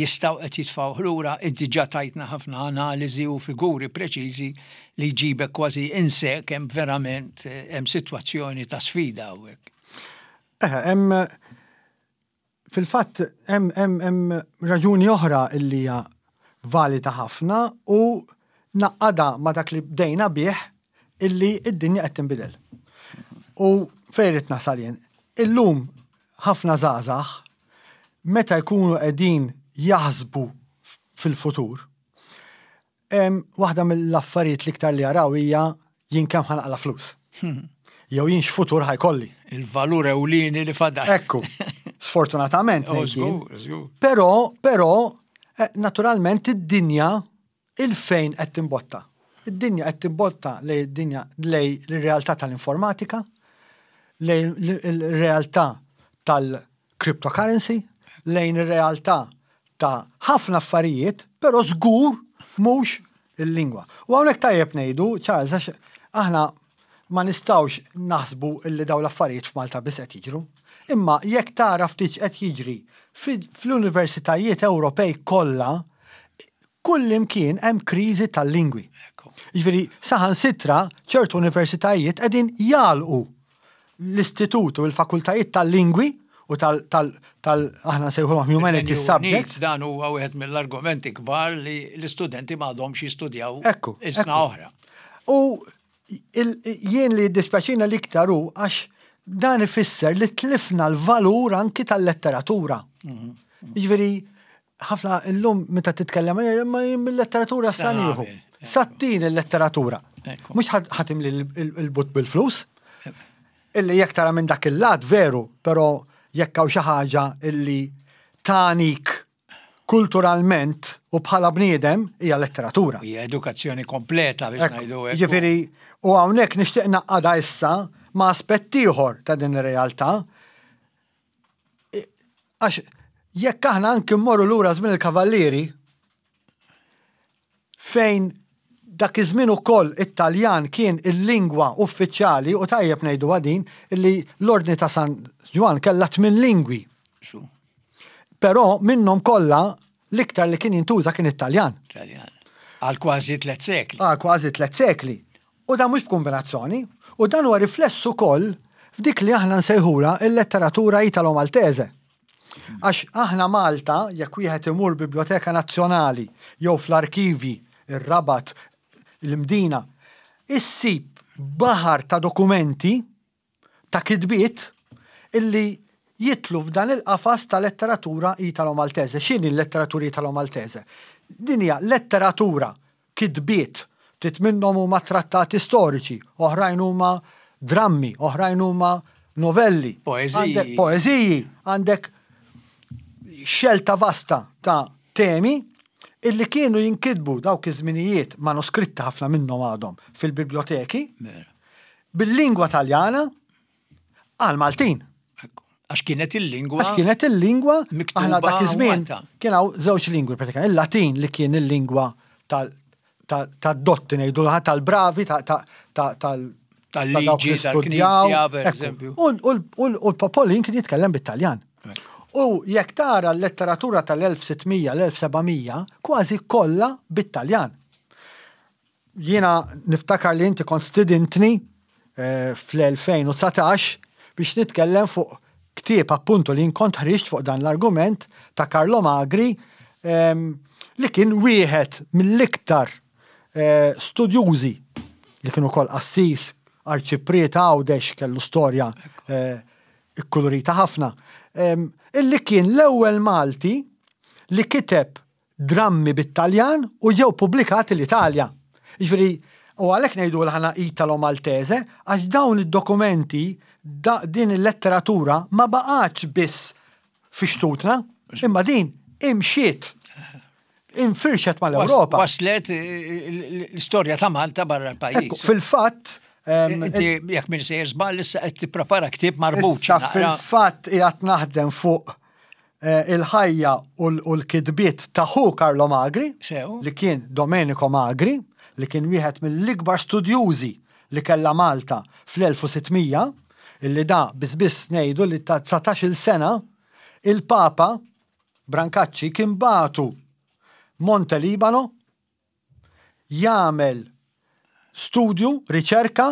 jistgħu qed jitfgħu lura, inti ġa tajtna ħafna analiżi u figuri preċiżi li jġibek kważi inse kemm verament eh, hemm sitwazzjoni ta' sfida hawnhekk. Eħe, hemm fil-fatt hemm hemm hemm raġuni oħra illi hija valida ħafna u naqada ma dak li bdejna bih illi id-dinja qed tinbidel. U fejn irid nasal jien. Illum ħafna żgħażagħ meta jkunu qegħdin jaħsbu fil-futur, em, waħda mill-affarijiet l-iktar li jaraw hija jien kemm ħa naqla' flus. Jew jien x'futur ħa jkolli. Il-valur ewlieni li fadal. Ekku, sfortunatament Oh, ngħid jien. żgur, żgur. Però, però, eh, naturalment id-dinja il-fejn qed timbotta. Id-dinja qed timbotta lej id-dinja lej l-realtà tal-informatika, lejn il-realtà tal-cryptocurrency, lejn ir-realtà ta' ħafna affarijiet, però żgur mhux il-lingwa. U hawnhekk tajjeb ngħidu, Charles, għax aħna ma nistgħux naħsbu illi dawn l-affarijiet f'Malta biss qed jiġru. Imma jekk tara ftit qed jiġri fil- fl-universitajiet Ewropej kollha, kull imkien hemm kriżi tal-lingwi. Ekku. Jiġifieri saħansitra ċertu universitajiet qegħdin jagħlqu l-istitut u l-fakultajiet tal-lingwi u tal, tal, tal aħna nsejħulhom humanities Il-Renju subjects. Unit, Dan huwa wieħed mill-argumenti kbar li l-istudenti m'għadhomx jistudjaw Ekku, is-sna ekku. oħra. U il- jien li jiddispjaċina l-iktar hu għax dan ifisser li tlifna l-valur anki tal-letteratura. Jiġifieri ħafna illum meta titkellem "Eh, ma jien mill-letteratura Sa sa nieħu. nagħmel, Sattin il-letteratura. Ekku. Mhux ħa timli il-but bil-flus. Illi jekk tara minn dak il-lat veru, però jekk hawn xi ħaġa illi tanik kulturalment u bħala bniedem hija letteratura. Hija edukazzjoni kompleta biex Ekku, ngħidu hekk. Jiġifieri, u hawnhekk nixtieq naqada issa ma' aspett ieħor ta' din ir-realtà. I- Għax jekk aħna anki mmorru lura żmien il-Kavallieri, fejn dak iż-żmien ukoll it-Taljan kien il-lingwa uffiċjali u tajjeb ngħidu din illi l-Ordni ta' San Ġwann kellha tmien lingwi. Xu, Però minnhom kollha l-iktar li kien jintuża kien it-Taljan. Taljan. Għal kważi tliet sekli. Għal kważi tliet sekli. U dan mhux b'kombinazzjoni, u dan huwa rifless ukoll f'dik li aħna nsejħula il-letteratura Italo-Maltese. Għax aħna Malta, jekk wieħed imur Biblioteka Nazzjonali jew fl-arkivi, ir-Rabat, l-Imdina, issib baħar ta' dokumenti ta' kitbiet illi jidħlu f'dan il-qafas ta' letteratura Italo-Maltese. X'inhi l-letteratura Italo-Maltese? Din hija letteratura, kitbiet, ftit minnhom huma trattati storiċi, oħrajn huma drammi, oħrajn huma novelli. Poeżiji. Għandek poeżiji, għandek xelta vasta ta' temi illi kienu jinkitbu dawk iż-żminijiet, manuskritti ħafna minnhom għadhom fil-biblioteki, Vera. bil-lingwa Taljana għal Maltin. Ekku. Għax kienet il-lingwa. Għax kienet il-lingwa, Miktuba aħna dak iż-żmien Malta. kien hawn żewġ lingwi pratikament, il-Latin li kien il-lingwa tal- tal- tad-dotti ngħidu tal-bravi, ta- ta- ta- tal- ta' Tal-liġi, dawk li studjaw. tal-knisja, per Ekku. eżempju. U u- u- u l-popolin kien jitkellem bit-Taljan. Ekku. U jekk tara l-letteratura tal-elf sitt mija, l-elf seba' mija, kważi kollha bit-Taljan. Jiena niftakar li inti kont stidintni eh, fl-elfejn u dsatax biex nitkellem fuq ktieb appuntu li kont ħriġt fuq dan l-argument ta' Carlo Magri, em, li kien wieħed mill-iktar eh, studjużi, li kienu kol qassis, arċipriet Għawdex, kellu storja eh, ikkulurita ħafna, em, illi kien l-ewwel Malti li kiteb drammi bit-Taljan u ġew pubblikati l-Italja. Jiġifieri, u għalhekk ngħidu l-ħana Italo-Maltese, għax dawn id-dokumenti, da, din il-letteratura ma baqgħetx biss fi xtutna, imma din imxiet, infirxet mal-Ewropa. Waslet eh, l-istorja ta' Malta barra Ekku, l-pajjiż. fil-fatt, em, Inti, jekk minn sejjer żball, issa qed tipprepara ktieb marbut. Issa fil-fatt qiegħed naħdem fuq eh, il-ħajja u l- u l-kitbiet ta' ħu Carlo Magri, Sew. li kien Domenico Magri, li kien wieħed mill-ikbar studjużi li kella Malta fl-elf u sitt mija, illi da biss ngħidu li ta' dsatax-il sena il-Papa Brancacci kien bagħtu Monte Libano jagħmel studju, riċerka,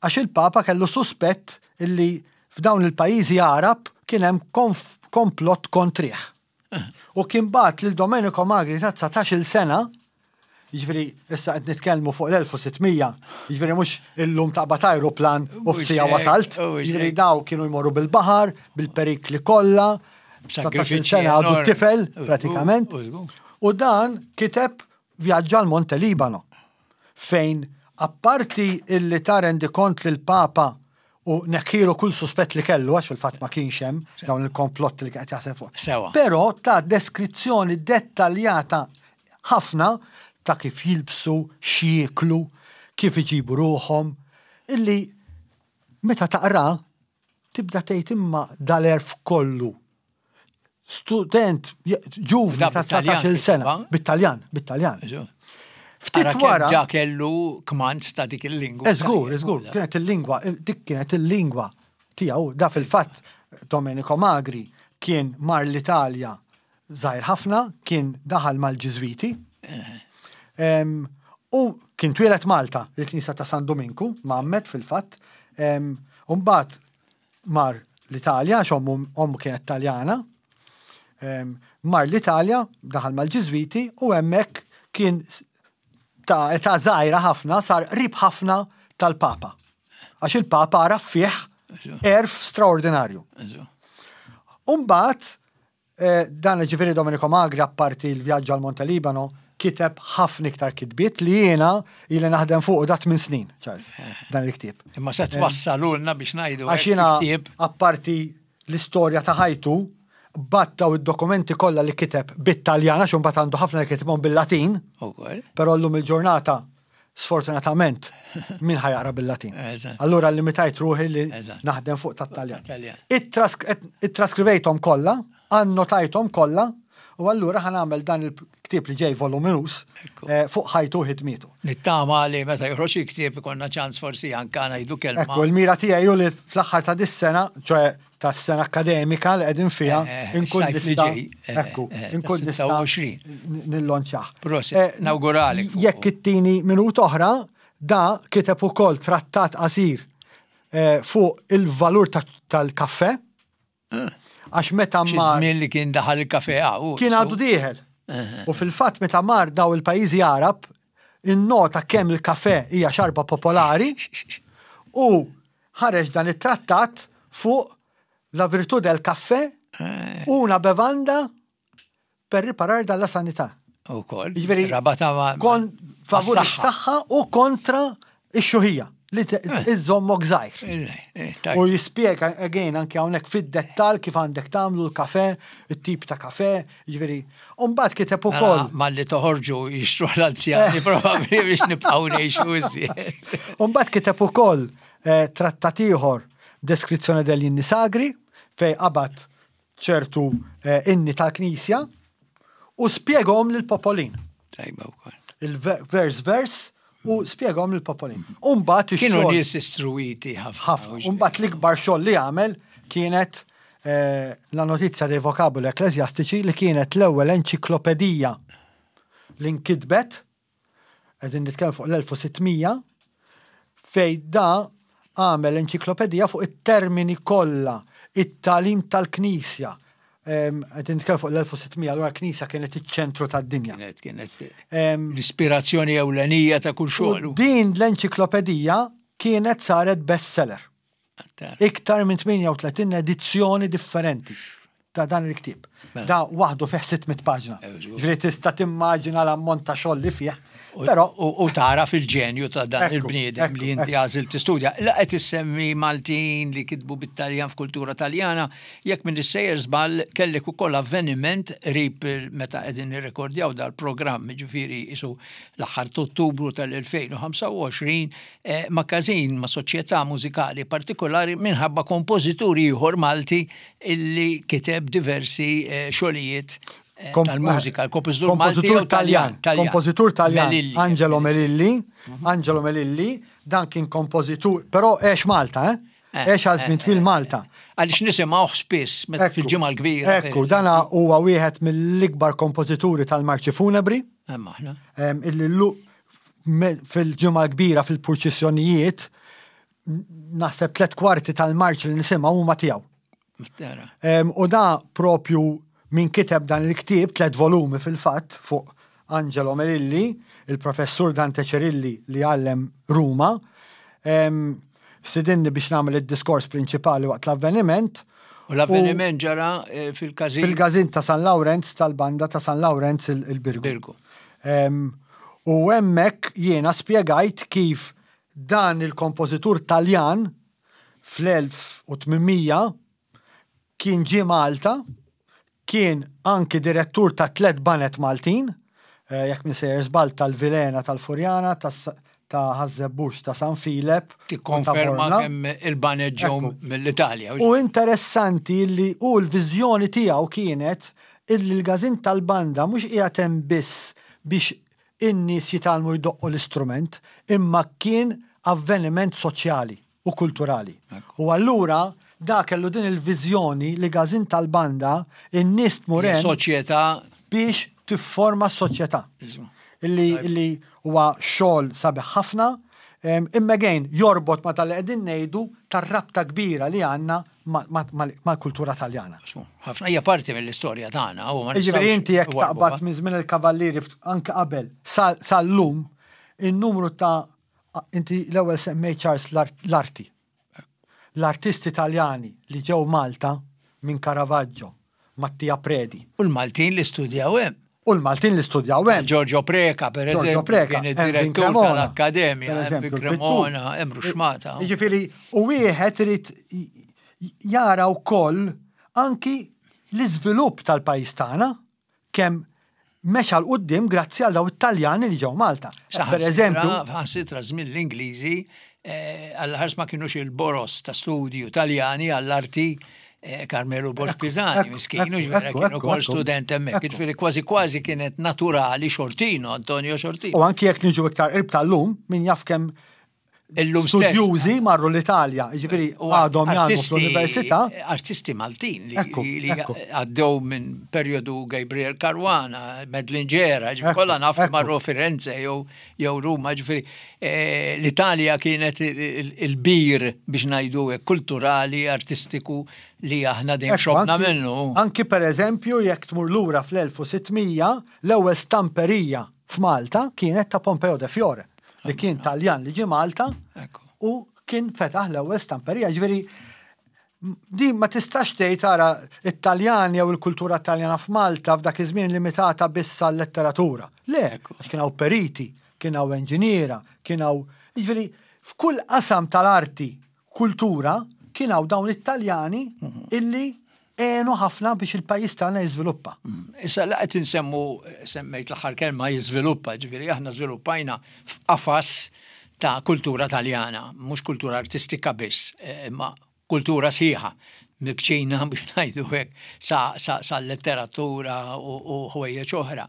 għax il-Papa kellu suspett illi f'dawn il-pajjiżi Arab kien hemm konf- komplott kontrih. U kien bagħat lil Domenico Magri ta' dsatax-il sena, jiġifieri issa qed nitkellmu fuq l-elf u sitt mija, jiġifieri mhux illum taqbad ajruplan u Mhux f'siegħa hekk, wasalt, mhux jiġifieri hekk. daw kienu jmorru bil-baħar, bil-perikli kollha, dsatax-il B'sakrifiċċji sena għadu enormi. tifel U- pratikament. u- u- U dan kiteb Vjaġġ al Monte Libano, fejn apparti illi ta rendikont lil Papa u neħħielu kull suspett li kellu, għax fil-fatt ma kienx hemm dawn il-komplotti li qed jaħseb fuq. Sewa. Però ta deskrizzjoni dettaljata ħafna ta' kif jilbsu, x'jieklu, kif iġibu ruħhom, illi meta taqra tibda tgħid imma dal-għerf kollu. Student ġuvni Da ta' bit-Taljan dsatax-il sena, kitba? bit-Taljan, bit-Taljan. Ftit Ara kemm wara, ġa kellu kmand ta' dik il-lingwa. Eżgur, eżgur, kienet il-lingwa, dik kienet il-lingwa tiegħu. Da fil-fatt Domenico Magri kien mar l-Italja żgħir ħafna, kien daħal mal-Ġiżwiti. Em, U kien twieled Malta, il-Knisja ta' San Dominku, mgħammed fil-fatt. Em, U mbagħad mar l-Italja, għax ommu ommu kienet Taljana. Em, Mar l-Italja, daħal mal-Ġiżwiti u hemmhekk kien s- ta' età żgħira ħafna, sar qrib ħafna tal-Papa. Għax il-Papa għaraf fih għerf straordinarju. Umbagħad, eh, dan ġifieri Domenico Magri, apparti l-vjaġġ għal Monte Libano, kiteb ħafna iktar kitbiet li jiena ili naħdem fuq dat minn snin, Charles, dan il-ktieb. Imma se twassalulna biex ngħidu. Għax hekk jiena il-ktieb. apparti l-istorja ta' ħajtu, battaw id-dokumenti kollha li kiteb bit-Taljan, għax imbagħad għandu ħafna li kitibhom bil-Latin, Ukoll. però llum il-ġurnata sfortunatament min ħa jaqra bil-Latin. Eżatt. Allura limitajt ruħi li Eżatt. naħdem fuq tat-Taljan. Tat-Taljan. Ittraskrivejthom kollha, annotajthom kollha, u allura ħa nagħmel dan il-ktieb li ġej voluminus Ekku. eh, fuq ħajtu u ħidmietu. Nittama li meta joħroġ il-ktieb ikonna ċans forsi anka ngħidu kelma. Ekku, il-mira tiegħi hu li fl-aħħar ta' dis-sena, ċoè tas-sena akademika li qegħdin fiha, Eh, eh, inkun is-sajf li nista' ġej, eh, ekku, eh, inkun tas nista' sitta u għoxrin. nillonċjah. Prosit, Eh, nawguralek fuqu. Jekk ittini minut oħra, da kiteb ukoll trattat qasir eh, fuq il-valur ta- tal-kafè. Għax meta Xi mar żmien li kien daħal il-kafe hawn. kien għadu dieħel. U fil-fatt meta mar daw il-pajjiżi Arab, innota kemm il-kafè hija xarba popolari u ħareġ dan it-trattat fuq La virtù del caffè, Eh. una bevanda per riparar dalla sanità. U koll. Jiġifieri, Rabata ma' Kon favur mas-saħħa. is-saħħa u kontra ix-xjuħija li te- iżommok żgħir. Eh, eh, tajb. U jispjega again anke hawnhekk fid-dettal kif għandek tagħmlu l-kafe, it-tip ta' kafe, jiġifieri. U mbagħad kiteb ukoll. Mela, Malli toħorġu jixtru l-anzjani probabbli biex nibqgħu ngħixu iżjed. U mbagħad kiteb ukoll eh, trattat ieħor Descrizione degli inni sagri fej qabad ċertu eh, inni tal-Knisja u spjegahom lill-popolin. Tajba wkoll. Il-vers vers u spjegahom lill-popolin. U mbagħad Kienu ix-xogħol nies istruwiti ħafna. ħafna. U mbagħad l-ikbar xogħol li għamel kienet eh, la notizia dei vocaboli ecclesiastici li kienet l-ewwel enċiklopedija li nkitbet qegħdin nitkellem fuq l-elf u sitt mija, fej da għamel enċiklopedija fuq it-termini kollha, it-tagħlim tal-Knisja. Em, Qegħdin nitkellem fuq l-elf u sitt mija, allura l-Knisja kienet iċ-ċentru tad-dinja. Kienet kienet Em, l-ispirazzjoni ewlenija ta' kull U xogħol. din l-enċiklopedija kienet saret bestseller. Iktar minn tmienja u tletin edizzjoni differenti ta' dan il-ktib. Mela. Da waħdu fih sitt mitt paġna. Eh, żgur. Ġifieri tista' timmaġina l-ammont ta' xogħol li fih. U- Però U u tara fil-ġenju ta' dan Ekku, il-bniedem ekku, li inti ekku. għażil tistudja. La qed issemmi Maltin li kitbu bit-Taljan f'kultura Taljana, jekk minn sejjer żball kellek ukoll avveniment qrib il- meta qegħdin nirrekordjaw dal-programm, ġifieri isu l-aħħar Ottubru tal-elfejn u ħamsa u għoxrin, eh, ma' każin ma' soċjetà mużikali partikolari minħabba kompożitur ieħor Malti illi kiteb diversi eh, xogħlijiet eh, Kom- tal-mużika, il-kompożitur Malti kompożitur jew Taljan, kompożitur Taljan, Melilli. Angelo Melilli, Angelo Melilli, dan kien kompożitur, però għex Malta, eh? Eh, Għex għal żmien eh, twil eh, Malta. Għaliex nisimgħuh spiss meta Ekku, fil-ġimgħa l-kbira. Ekku, dana huwa wieħed mill-ikbar kompożituri tal-marċi funebri, Hemm aħna. em, illi lu me- fil-ġimgħa l-kbira fil-purċissjonijiet naħseb tlet kwarti tal-marċi li nisimgħu huma tiegħu. Tara. Em, U da propju min kiteb dan il-ktieb, tlet volumi fil-fatt, fuq Angelo Melilli, il-professur Dante Cerilli li għallem Ruma, em, stidinni biex nagħmel id-diskors prinċipali waqt l-avveniment. U l-avveniment ġara eh, fil-każin Fil-gazin ta' San Lawrenz, tal-banda ta' San Lawrenz il- il-Birgu. Birgu. Em, U hemmhekk jiena spjegajt kif dan il-kompożitur Taljan fl-elf u tmien mija kien ġie Malta, kien anki direttur ta' tlet baned Maltin, eh, jekk m'iniex sejjer żball tal-Vilhena tal-Furjana, tas- ta' Ħaż-Żebbuġ ta' San Filep, u ta' Tikkonferma Bormla. kemm il-baned ġew Ekku. mill-Italja. U interessanti li u l-viżjoni tiegħu kienet illi l-gazin tal-banda mhux qiegħed hemm biss biex in-nies jitgħallmu jdoqqu l-istrument, imma kien avveniment soċjali u kulturali. U allura da kellu din il-viżjoni li gazin tal-banda in-nies tmur hemm Soċjetà biex tifforma s-soċjetà. Isma'. Illi, illi huwa xogħol sabiħ ħafna, em, imma again jorbot ma tal qegħdin ngħidu tar-rabta kbira li għandna mal-kultura Taljana. Ħafna hija parti mill-istorja tagħna. u ma Jiġifieri nistgħux inti jekk nwarrbuha. taqbad minn żmien il-kavallieri ft- anke qabel sal- sal-lum in-numru ta' inti l-ewwel semmej Charles l-art- l-arti. L-artisti Taljani li ġew Malta minn Caravaggio, Mattia Predi. U l-Maltin li studjaw hemm. U l-Maltin li studjaw hemm. Giorgio Preca, per Giorgio eżempju, Preca, kien Erwin id-direttur Cremona, tal-Akkademja, per Erwin eżempju, il-pittur. Cremona, Emru Xmata. Jiġifieri, u wieħed irid jara wkoll anki l-iżvilupp tal-pajjiż tagħna kemm mexa 'l quddiem grazzi għal daw it-Taljani li ġew Malta. Per eżempju, Saħansitra żmien l-Ingliżi, eh, għall-ħars ma kienux il-boros ta' studju Taljani għall-arti eh, Carmelo Borg Pisani, ekku, miskinu, ekku, ġvera ekku, kienu ekku, kol ekku. student hemmhekk. Ekku. Ġifieri kważi kważi kienet naturali Sciortino, Antonio Sciortino. U anki jekk niġu iktar qrib tal-lum, min jaf kemm Illum stess. studjużi marru l-Italja, jiġifieri U għadhom jgħadmu artisti- fl-università. Artisti Maltin li, Ekku, li, li ekku. għaddew minn periodu Gabriel Caruana, Madeline Gera, Ekku, kollha naf ekku. marru Firenze jew jew Ruma, ġifieri eh, l-Italja kienet il- il-bir biex ngħidu hekk, kulturali, artistiku li aħna dejjem Ekku, xobna anki- minnu. Anki per eżempju, jekk tmur lura fl-elf u sitt mija, l-ewwel stamperija f'Malta kienet ta' Pompeo de Fiore, li kien Taljan li ġie Malta Ekku. u kien fetaħ l-ewwel stamperija. Ġifieri Din ma tistax tgħid tara it-Taljan jew il-kultura Taljana f'Malta f'dak iż-żmien limitata biss għal-letteratura. Le, għax kien hawn periti, kien hawn inġiniera, kien hawn, jiġifieri f'kull qasam tal-arti, kultura, kien hawn dawn it-Taljani illi għenu ħafna biex il-pajjiż tagħna jiżviluppa. Issa la qed insemmu, semmejt l-aħħar kelma jiżviluppa, ġifieri aħna żviluppajna f'qafas ta' kultura Taljana, mhux kultura artistika biss, imma kultura sħiħa, mill-kċina biex ngħidu hekk sa, sa, sa letteratura u ħwejjeġ oħra.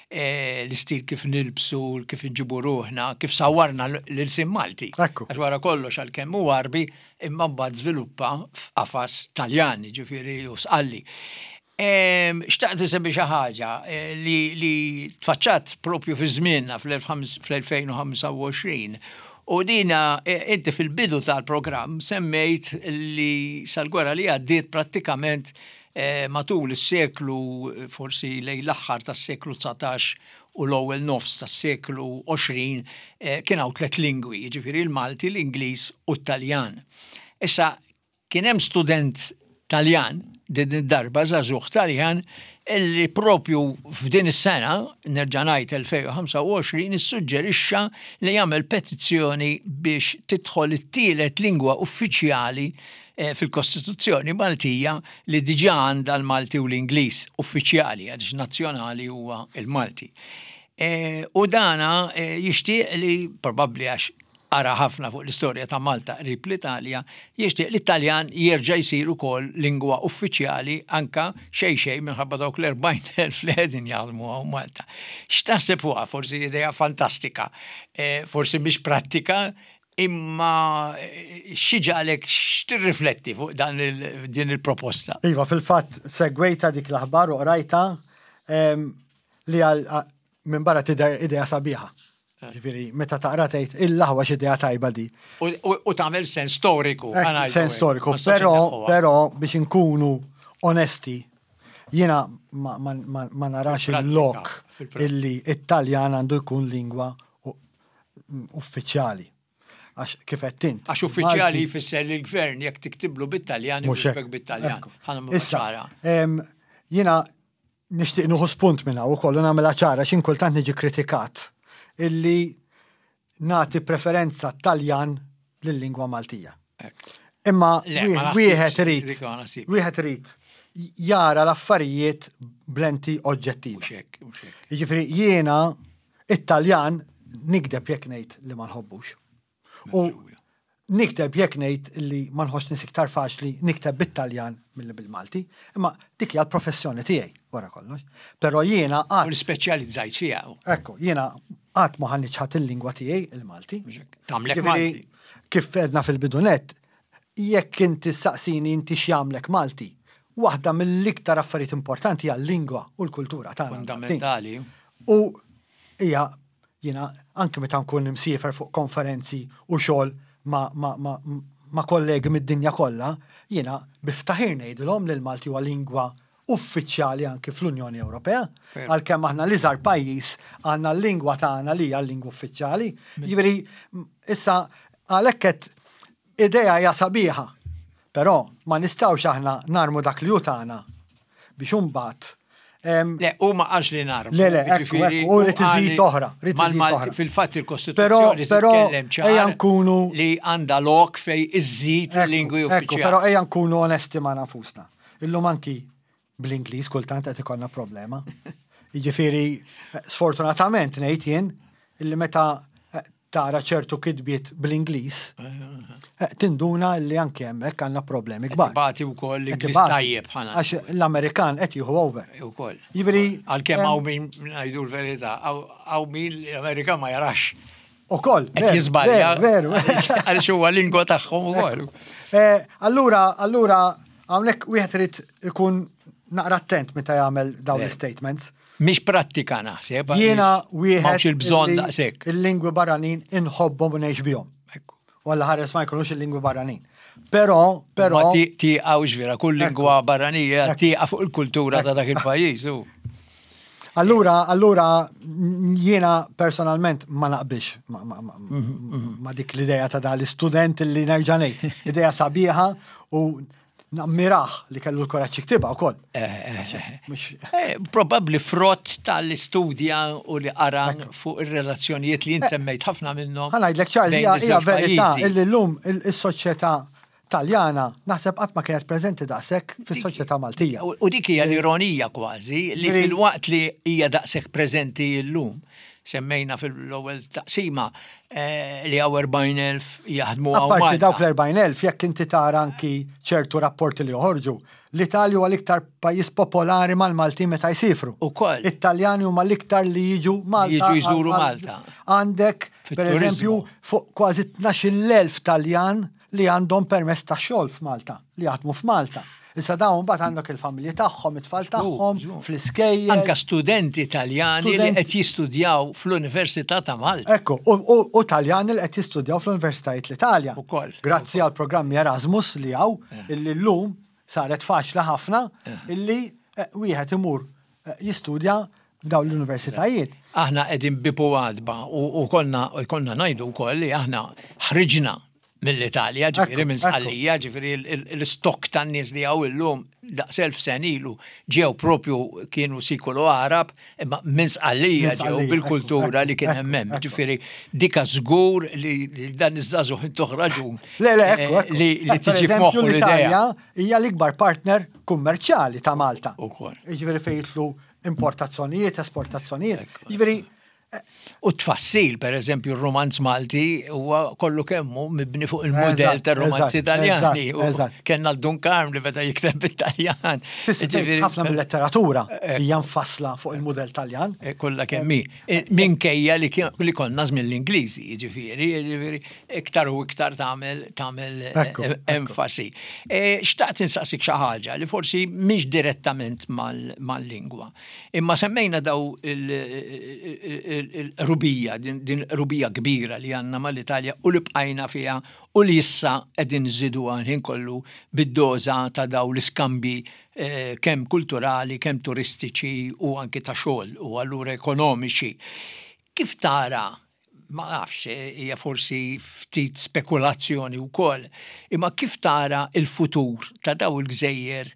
E, l-istil kif nilbsu, kif nġibu ruħna, kif sawarna l-ilsien Malti. Ekku. Għax wara kollox għalkemm hu Għarbi imma mbagħad żviluppa f'qafas Taljan, ġifieri u Sqalli. Xtaqt insemmi xi ħaġa li, li tfaċċat propju fi żmienna fl-elfejn u ħamsa u għoxrin. U dina, inti fil-bidu tal-programm semmejt li sal-gwerra li għaddiet prattikament matul is-seklu, forsi lejn l-aħħar tas-seklu dsatax u l-ewwel nofs tas-seklu għoxrin, kien hawn tliet lingwi, jiġifieri l-Malti, l-Ingliż u t-Taljan. Issa kien hemm student Taljan, din id-darba żagħżugħ Taljan, illi propju f'din is-sena, nerġa' ngħid elfejn u ħamsa u għoxrin, issuġġerixxa li jagħmel petizzjoni biex tidħol it-tielet lingwa uffiċjali fil-Kostituzzjoni Maltija li diġà għandha l-Malti u l-Ingliż uffiċjali, għaliex nazzjonali huwa l-Malti. U dana jixtieq li, probabbli għax qara ħafna fuq l-istorja ta' Malta qrib l-Italja, jixtieq li t-Taljan jerġa' jsir ukoll lingwa uffiċjali anka xejn xejn minħabba dawk l-erbgħin elf li qegħdin jaħdmu hawn Malta. X'taħseb fuqha? Forsi idea fantastika, forsi mhix prattika, imma xi ġalek x'tirrifletti fuq dan din il-proposta? Iva, fil-fatt segwejta dik l-aħbar u qrajta li għal minn barra tidher idea sabiħa. Ġifieri, meta taqra tgħid il-laħwa x'idea tajba di. U tagħmel sens storiku. Sens storiku, però però biex inkunu onesti, jiena ma narax il-lok illi it-Taljan għandu jkun lingwa uffiċjali. Għax kif qed int. Għax uffiċjali jfisser li l-gvern jekk tiktiblu bit-Taljan, jiktibek bit-Taljan. Issa, jiena nixtieq nieħu spunt minn hawn ukoll u nagħmilha ċara x'in kultant niġi kritikat illi nagħti preferenza Taljan lil-lingwa Maltija. Imma wieħed irid wieħed irid jara l-affarijiet b'lenti oġġettiva. Jiġifieri jiena it-Taljan nikdeb jekk ngħid li ma nħobbux. U nikteb jekk ngħid li ma nħossni iktar faċli nikteb bit-Taljan milli bil-Malti, imma dik hija l-professjoni tiegħi wara kollox. Però jiena qatt. U speċjalizzajt fiha. Ekku, jiena qatt ma ħa niċħad il-lingwa tiegħi il-Malti. Tagħmlek Malti. Kif għedna fil-bidunet, jekk inti saqsini inti x'jagħmlek Malti, waħda mill-iktar affarijiet importanti hija l-lingwa u l-kultura tagħna. Fundamentali. U hija jiena anke meta nkun imsiefer fuq konferenzi u xogħol ma, ma, ma, ma kollegi mid-dinja kollha, jiena biftaħir ngħidilhom li l-Malti huwa lingwa uffiċjali anke fl-Unjoni Ewropea, għalkemm aħna l-iżgħar pajjiż għandna l-lingwa tagħna li hija l-lingwa uffiċjali. Jiġifieri issa għalhekk qed idea hija sabiħa, però ma nistgħux aħna narmu dak li hu tagħna biex imbagħad. Le, u ma għax li narmu. Le, le, ekku, ekku, u rrid iżid oħra, rrid iżid oħra. Fil-fatt il-Kostituzzjoni titkellem ċar nkunu li għandha lok fej iżid lingwi uffiċjali. Però ejja nkunu onesti ma' nafusna. Illum anki bl-Ingliż kultant qed ikollna problema. Jiġifieri, sfortunatament ngħid jien illi meta tara ċertu kitbiet bl-Ingliż, tinduna li anke hemmhekk għandna problemi kbar. Qed ibati wkoll l-Ingliż tajjeb ħana. Għax l-Amerikan qed jieħu over. Ukoll. Jiġifieri għalkemm hawn min ngħidu l-verità, hawn min l-Amerikan ma jarax. Ukoll, qed jiżbalja. Veru. Għaliex huwa lingwa tagħhom ukoll. Allura, allura hawnhekk wieħed irid ikun naqra attent meta jagħmel dawn l-statements. Mhix prattika naħseb. Jiena wieħed m'hawnx il-bżonn daqshekk. Il-lingwi barranin inħobbhom u ngħix bihom. U Alla ħares ma jkunux il-lingwi barranin. Però, però. Ma tieqgħux vera, kull lingwa barranija tieqa' fuq il-kultura ta' dak il-pajjiż. Allura, allura jiena personalment ma naqbilx ma dik l-idea ta' dal-istudent li nerġa' ngħid. Idea sabiħa u Nammirah li kellu l-kuraġġ jiktibha wkoll. Eh, probabbli frott tal-istudja u li qara fuq ir-relazzjonijiet li jien semmejt ħafna minnhom. Ħa ngħidlek, Charles, hija verità illi llum is-soċjetà Taljana naħseb qatt ma kienet preżenti daqshekk fis-soċjetà Maltija. U dik hija l-ironija kważi li fil-waqt li hija daqshekk preżenti llum, semmejna fil-ewwel taqsima eh, li hawn erbgħin elf jaħdmu hawn. Apparti dawk l-erbgħin elf, jekk inti tara anki ċertu rapporti li joħorġu, l-Italja huwa l-iktar pajjiż popolari mal-Maltin meta jsifru. Ukoll. It-Taljani huma l-iktar li jiġu Malta. Jiġu jżuru Malta. Għandek, per eżempju, fuq kważi tnax-il elf Taljan li għandhom permess ta' xogħol f'Malta, li jaħdmu f'Malta. Issa dawn mbagħad għandek il-familji tagħhom, it-tfal tagħhom, fl-iskejjel. Anka studenti Taljani li qed jistudjaw fl-Università ta' Malta. Ekku, u Taljani li qed jistudjaw fl-Universitajiet l-Italja. Ukoll. Grazzi għal programmi Erasmus li hawn, illi llum saret faċli ħafna illi eh, wieħed imur eh, jistudja f'dawn l-universitajiet. Aħna qegħdin bieb u għatba u konna konna ngħidu wkoll li aħna ħriġna mill-Italja, ġifieri minn Sqallija, ġifieri l-istok tan-nies li hawn illum daqs elf sena ilu ġew propju kienu Sikulu Arab, imma minn Sqallija ġew bil-kultura li kien hemm. Ġifieri dika żgur li dan iż-żagħżugħ intuh raġun. Le, le, ekku, eh, li tiġi f'moħħu l-Italja hija l-ikbar partner kummerċjali ta' Malta. Ukoll. Ġifieri fejn jidħlu importazzjonijiet, esportazzjonijiet. Ġifieri U tfassil, per eżempju, il-romanz Malti huwa kollu kemmu mibni fuq il-modell tar-romanzi Italjani. Kellna l-Dun Karm li beda jikteb bit-Taljan. Ħafna mill-letteratura hija mfassla fuq il-modell Taljan. Eh, kollha kemm hi. Eh, minkejja li konna żmien l-Ingliżi, jiġifieri, jiġifieri iktar u iktar tagħmel tagħmel eh, enfasi. Xtaqt insaqsik xi ħaġa li forsi mhix direttament mal-lingwa. Imma semmejna daw il-qrubija, din qrubija kbira li għandna mal-Italja u li bqajna fiha u li issa qegħdin nżidu ħin kollu bid-doża ta' daw l-iskambi eh, kemm kulturali, kemm turistiċi u anki ta' xogħol u allura ekonomiċi. Kif tara, ma nafx, hija forsi ftit spekulazzjoni wkoll, imma kif tara il-futur ta' daw il-gżejjer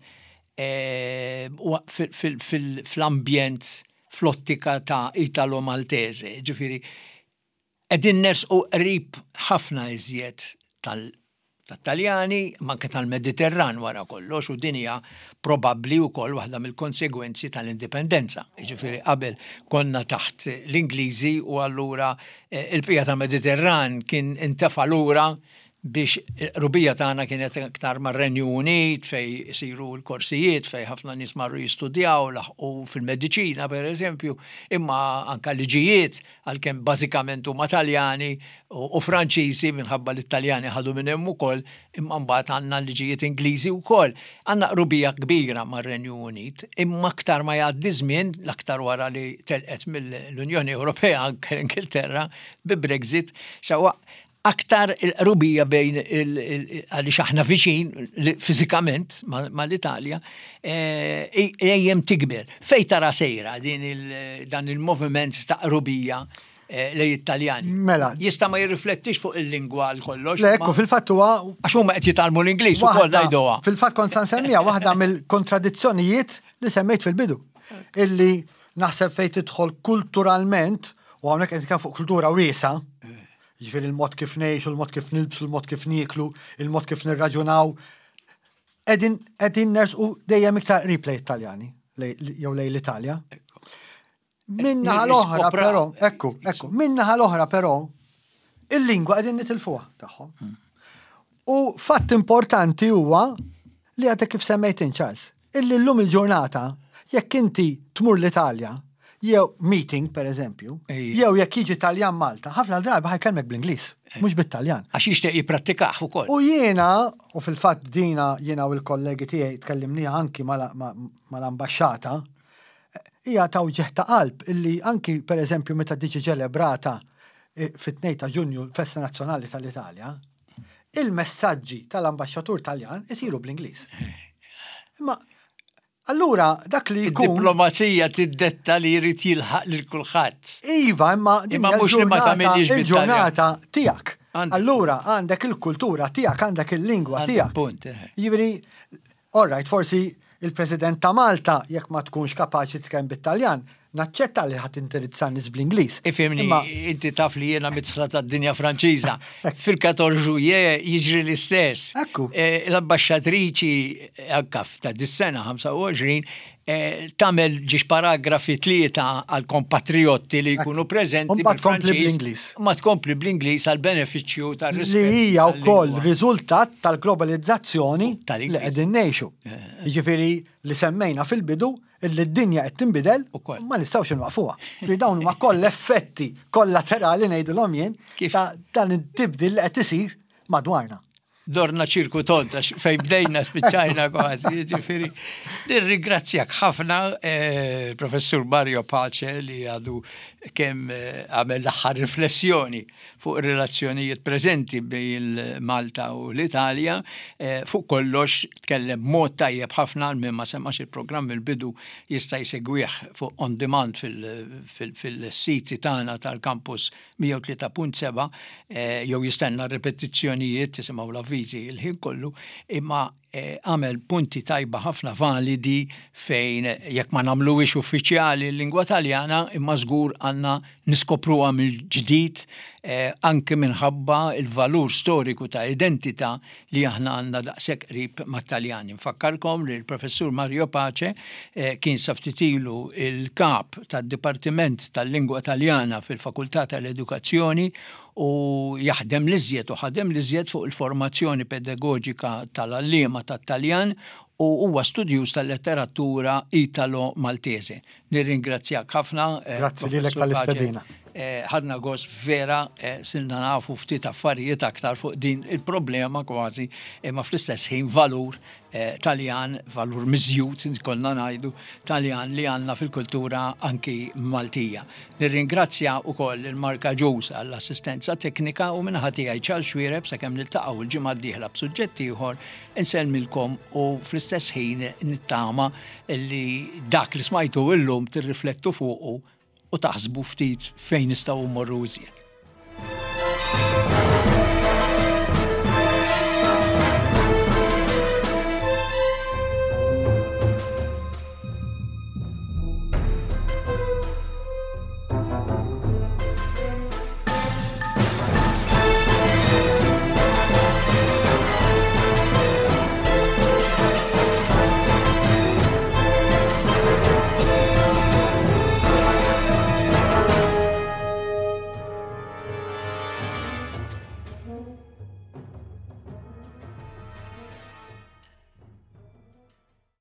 eh, fl-ambjent fl-ottika ta' Italo-Maltese, ġifieri, qegħdin nersqu qrib ħafna iżjed tal-Taljani, manke tal-Mediterran wara kollox, u din hija probabbli wkoll waħda mill-konsegwenzi tal-indipendenza. Ġifieri qabel konna taħt l-Ingliżi u allura eh, il-bqija tal-Mediterran kien intefa' lura biex qrubija tagħna kienet aktar mar-Renju Unit fej isiru l-korsijiet, fej ħafna nies marru jistudjaw, laħqu fil-mediċina per eżempju, imma anka liġijiet, għalkemm bażikament huma Taljani u Franċiżi minħabba li t-Taljani ħadu minn hemm ukoll, imma mbagħad għandna liġijiet Ingliżi wkoll. Għandna qrubija kbira mar-Renju Unit, imma aktar ma jgħaddi żmien, l-aktar wara li telqet mill-Unjoni Ewropea anke l-Ingilterra bi Brexit, sawa aktar il-qrubija bejn għaliex aħna viċin fiżikament mal-Italja ejjem tikber. Fej tara sejra din dan il-moviment ta' qrubija eh, lejn Italjani? Mela. Jista' ma jirriflettix fuq il-lingwa għal kollox. Le, ekku, fil-fatt huwa Għax huma qed jitgħallmu l-Ingliż ukoll ngħiduha. Fil-fatt kont sa nsemmija waħda mill-kontradizzjonijiet li semmejt fil-bidu. Illi naħseb fejn tidħol kulturalment, u hawnhekk qed nitkellem fuq kultura wiesa, jiġifieri il-mod kif ngħixu, il-mod kif nilbsu, il-mod kif nieklu, il-mod kif nirraġunaw, qegħdin qegħdin nersqu dejjem iktar qrib lejn Italjani, jew lejn l-Italja. Min-naħa l-oħra però, ekku, ekku, min-naħa l-oħra però, il-lingwa qegħdin nitilfuha tagħhom. U fatt importanti huwa li għadek kif semmejt Charles, illi llum il-ġurnata, jekk inti tmur l-Italja, jew meeting per eżempju, jew jekk jiġi Taljan Malta, ħafna drabi ħa jkellmek bl-Ingliż, mhux bit-Taljan. Għax jixtieq jipprattikah ukoll. U jiena, u fil-fatt dina jiena u l-kollegi tiegħi tkellimniha anki mal-ambaxxata, hija ta' wġigħ ta' qalb illi anki per eżempju meta tiġi ċelebrata eh, fit-tnejn ta' Ġunju l-Festa Nazzjonali tal-Italja, il-messaġġi tal-ambaxxatur Taljan isiru bl-Ingliż. Imma allura dak li jkun. Id-diplomazija tiddetta li jrid jilħaq lil kulħadd. Iva, imma Imma mhux li ma tagħmilx il-ġurnata tiegħek. Għandek Allura għandek il-kultura tiegħek, għandek il-lingwa Għandek tiegħek. punt, eh. Jiġifieri All right, forsi il-President ta' Malta, jekk ma tkunx kapaċi tkellem bit-Taljan, naċċetta li ħadd indirizza nies bl-Ingliż. Ifhimni, inti taf li jiena midħla tad-dinja Franċiża. Fil-quatorze juillet jiġri l-istess. Ekku. Eh, l-ambasċatriċi anka ta' dis-sena ħamsa u għoxrin eh, tagħmel żewġ paragrafi, tlieta għal kompatriotti li jkunu preżenti. U mbagħad tkompli bl-Ingliż. Ma tkompli bl-Ingliż għal benefiċċju tar-rispett. Li hija wkoll riżultat tal-globalizzazzjoni li qegħdin ngħixu. Eh. Jiġifieri li semmejna fil-bidu illi d-dinja qed tinbidel, ma nistgħux inwaqfuha. Fi dawn huma koll effetti kollaterali, ngħidulhom jien, ta' dan it-tibdil li qed isir madwarna. Dorna ċirku tond, fej bdejna spiċċajna kważi, ġifieri. Nirringrazzjak ħafna, eh, Professur Mario Pace, li għadu kemm eh, għamel l-aħħar riflessjoni fuq relazzjonijiet preżenti bejn Malta u l-Italja. Eh, fuq kollox tkellem mod tajjeb ħafna. Min ma semax il-programm il-bidu jista' jsegwih fuq on demand fil-siti tagħna tal-Campus mija u tlieta punt sebgħa jew jistenna ripetizzjonijiet, tisimgħu l-avviżi il-ħin kollu, imma eh, għamel punti tajba ħafna, validi, fejn jekk ma nagħmluhiex uffiċjali l-lingwa Taljana, imma żgur għandna niskopruha mill-ġdid eh, anke minħabba il-valur storiku ta' identità li aħna għandna daqshekk qrib mat-Taljani. Nfakkarkom li l-Professur Mario Pace eh, kien sa ftit ilu il-kap tad-Dipartiment tal-Lingwa Taljana fil-Fakultà tal-Edukazzjoni u jaħdem l-iżjed u ħadem l-iżjed fuq il-formazzjoni pedagogika tal-għalliema tat-Taljan u huwa studjuż tal-letteratura Italo-Maltese. Nirringrazzjak ħafna. Eh, Grazzi lilek tal-istedina. Eh, ħadna gost vera, eh, sirna nafu ftit affarijiet aktar fuq din il-problema kważi, imma fl-istess ħin valur Taljan, valur miżjud, konna ngħidu, Taljan li għandna fil-kultura anki Maltija. Nirringrazzja ukoll il-Marka Ġus għall-assistenza teknika u minn naħa tiegħi, Charles Xuereb, sakemm niltaqgħu il-ġimgħa d-dieħla b'suġġett ieħor, insellmilkom u fl-istess ħin nittama li dak li smajtu illum tirriflettu fuqu u taħsbu ftit fejn nistgħu mmorru iżjed.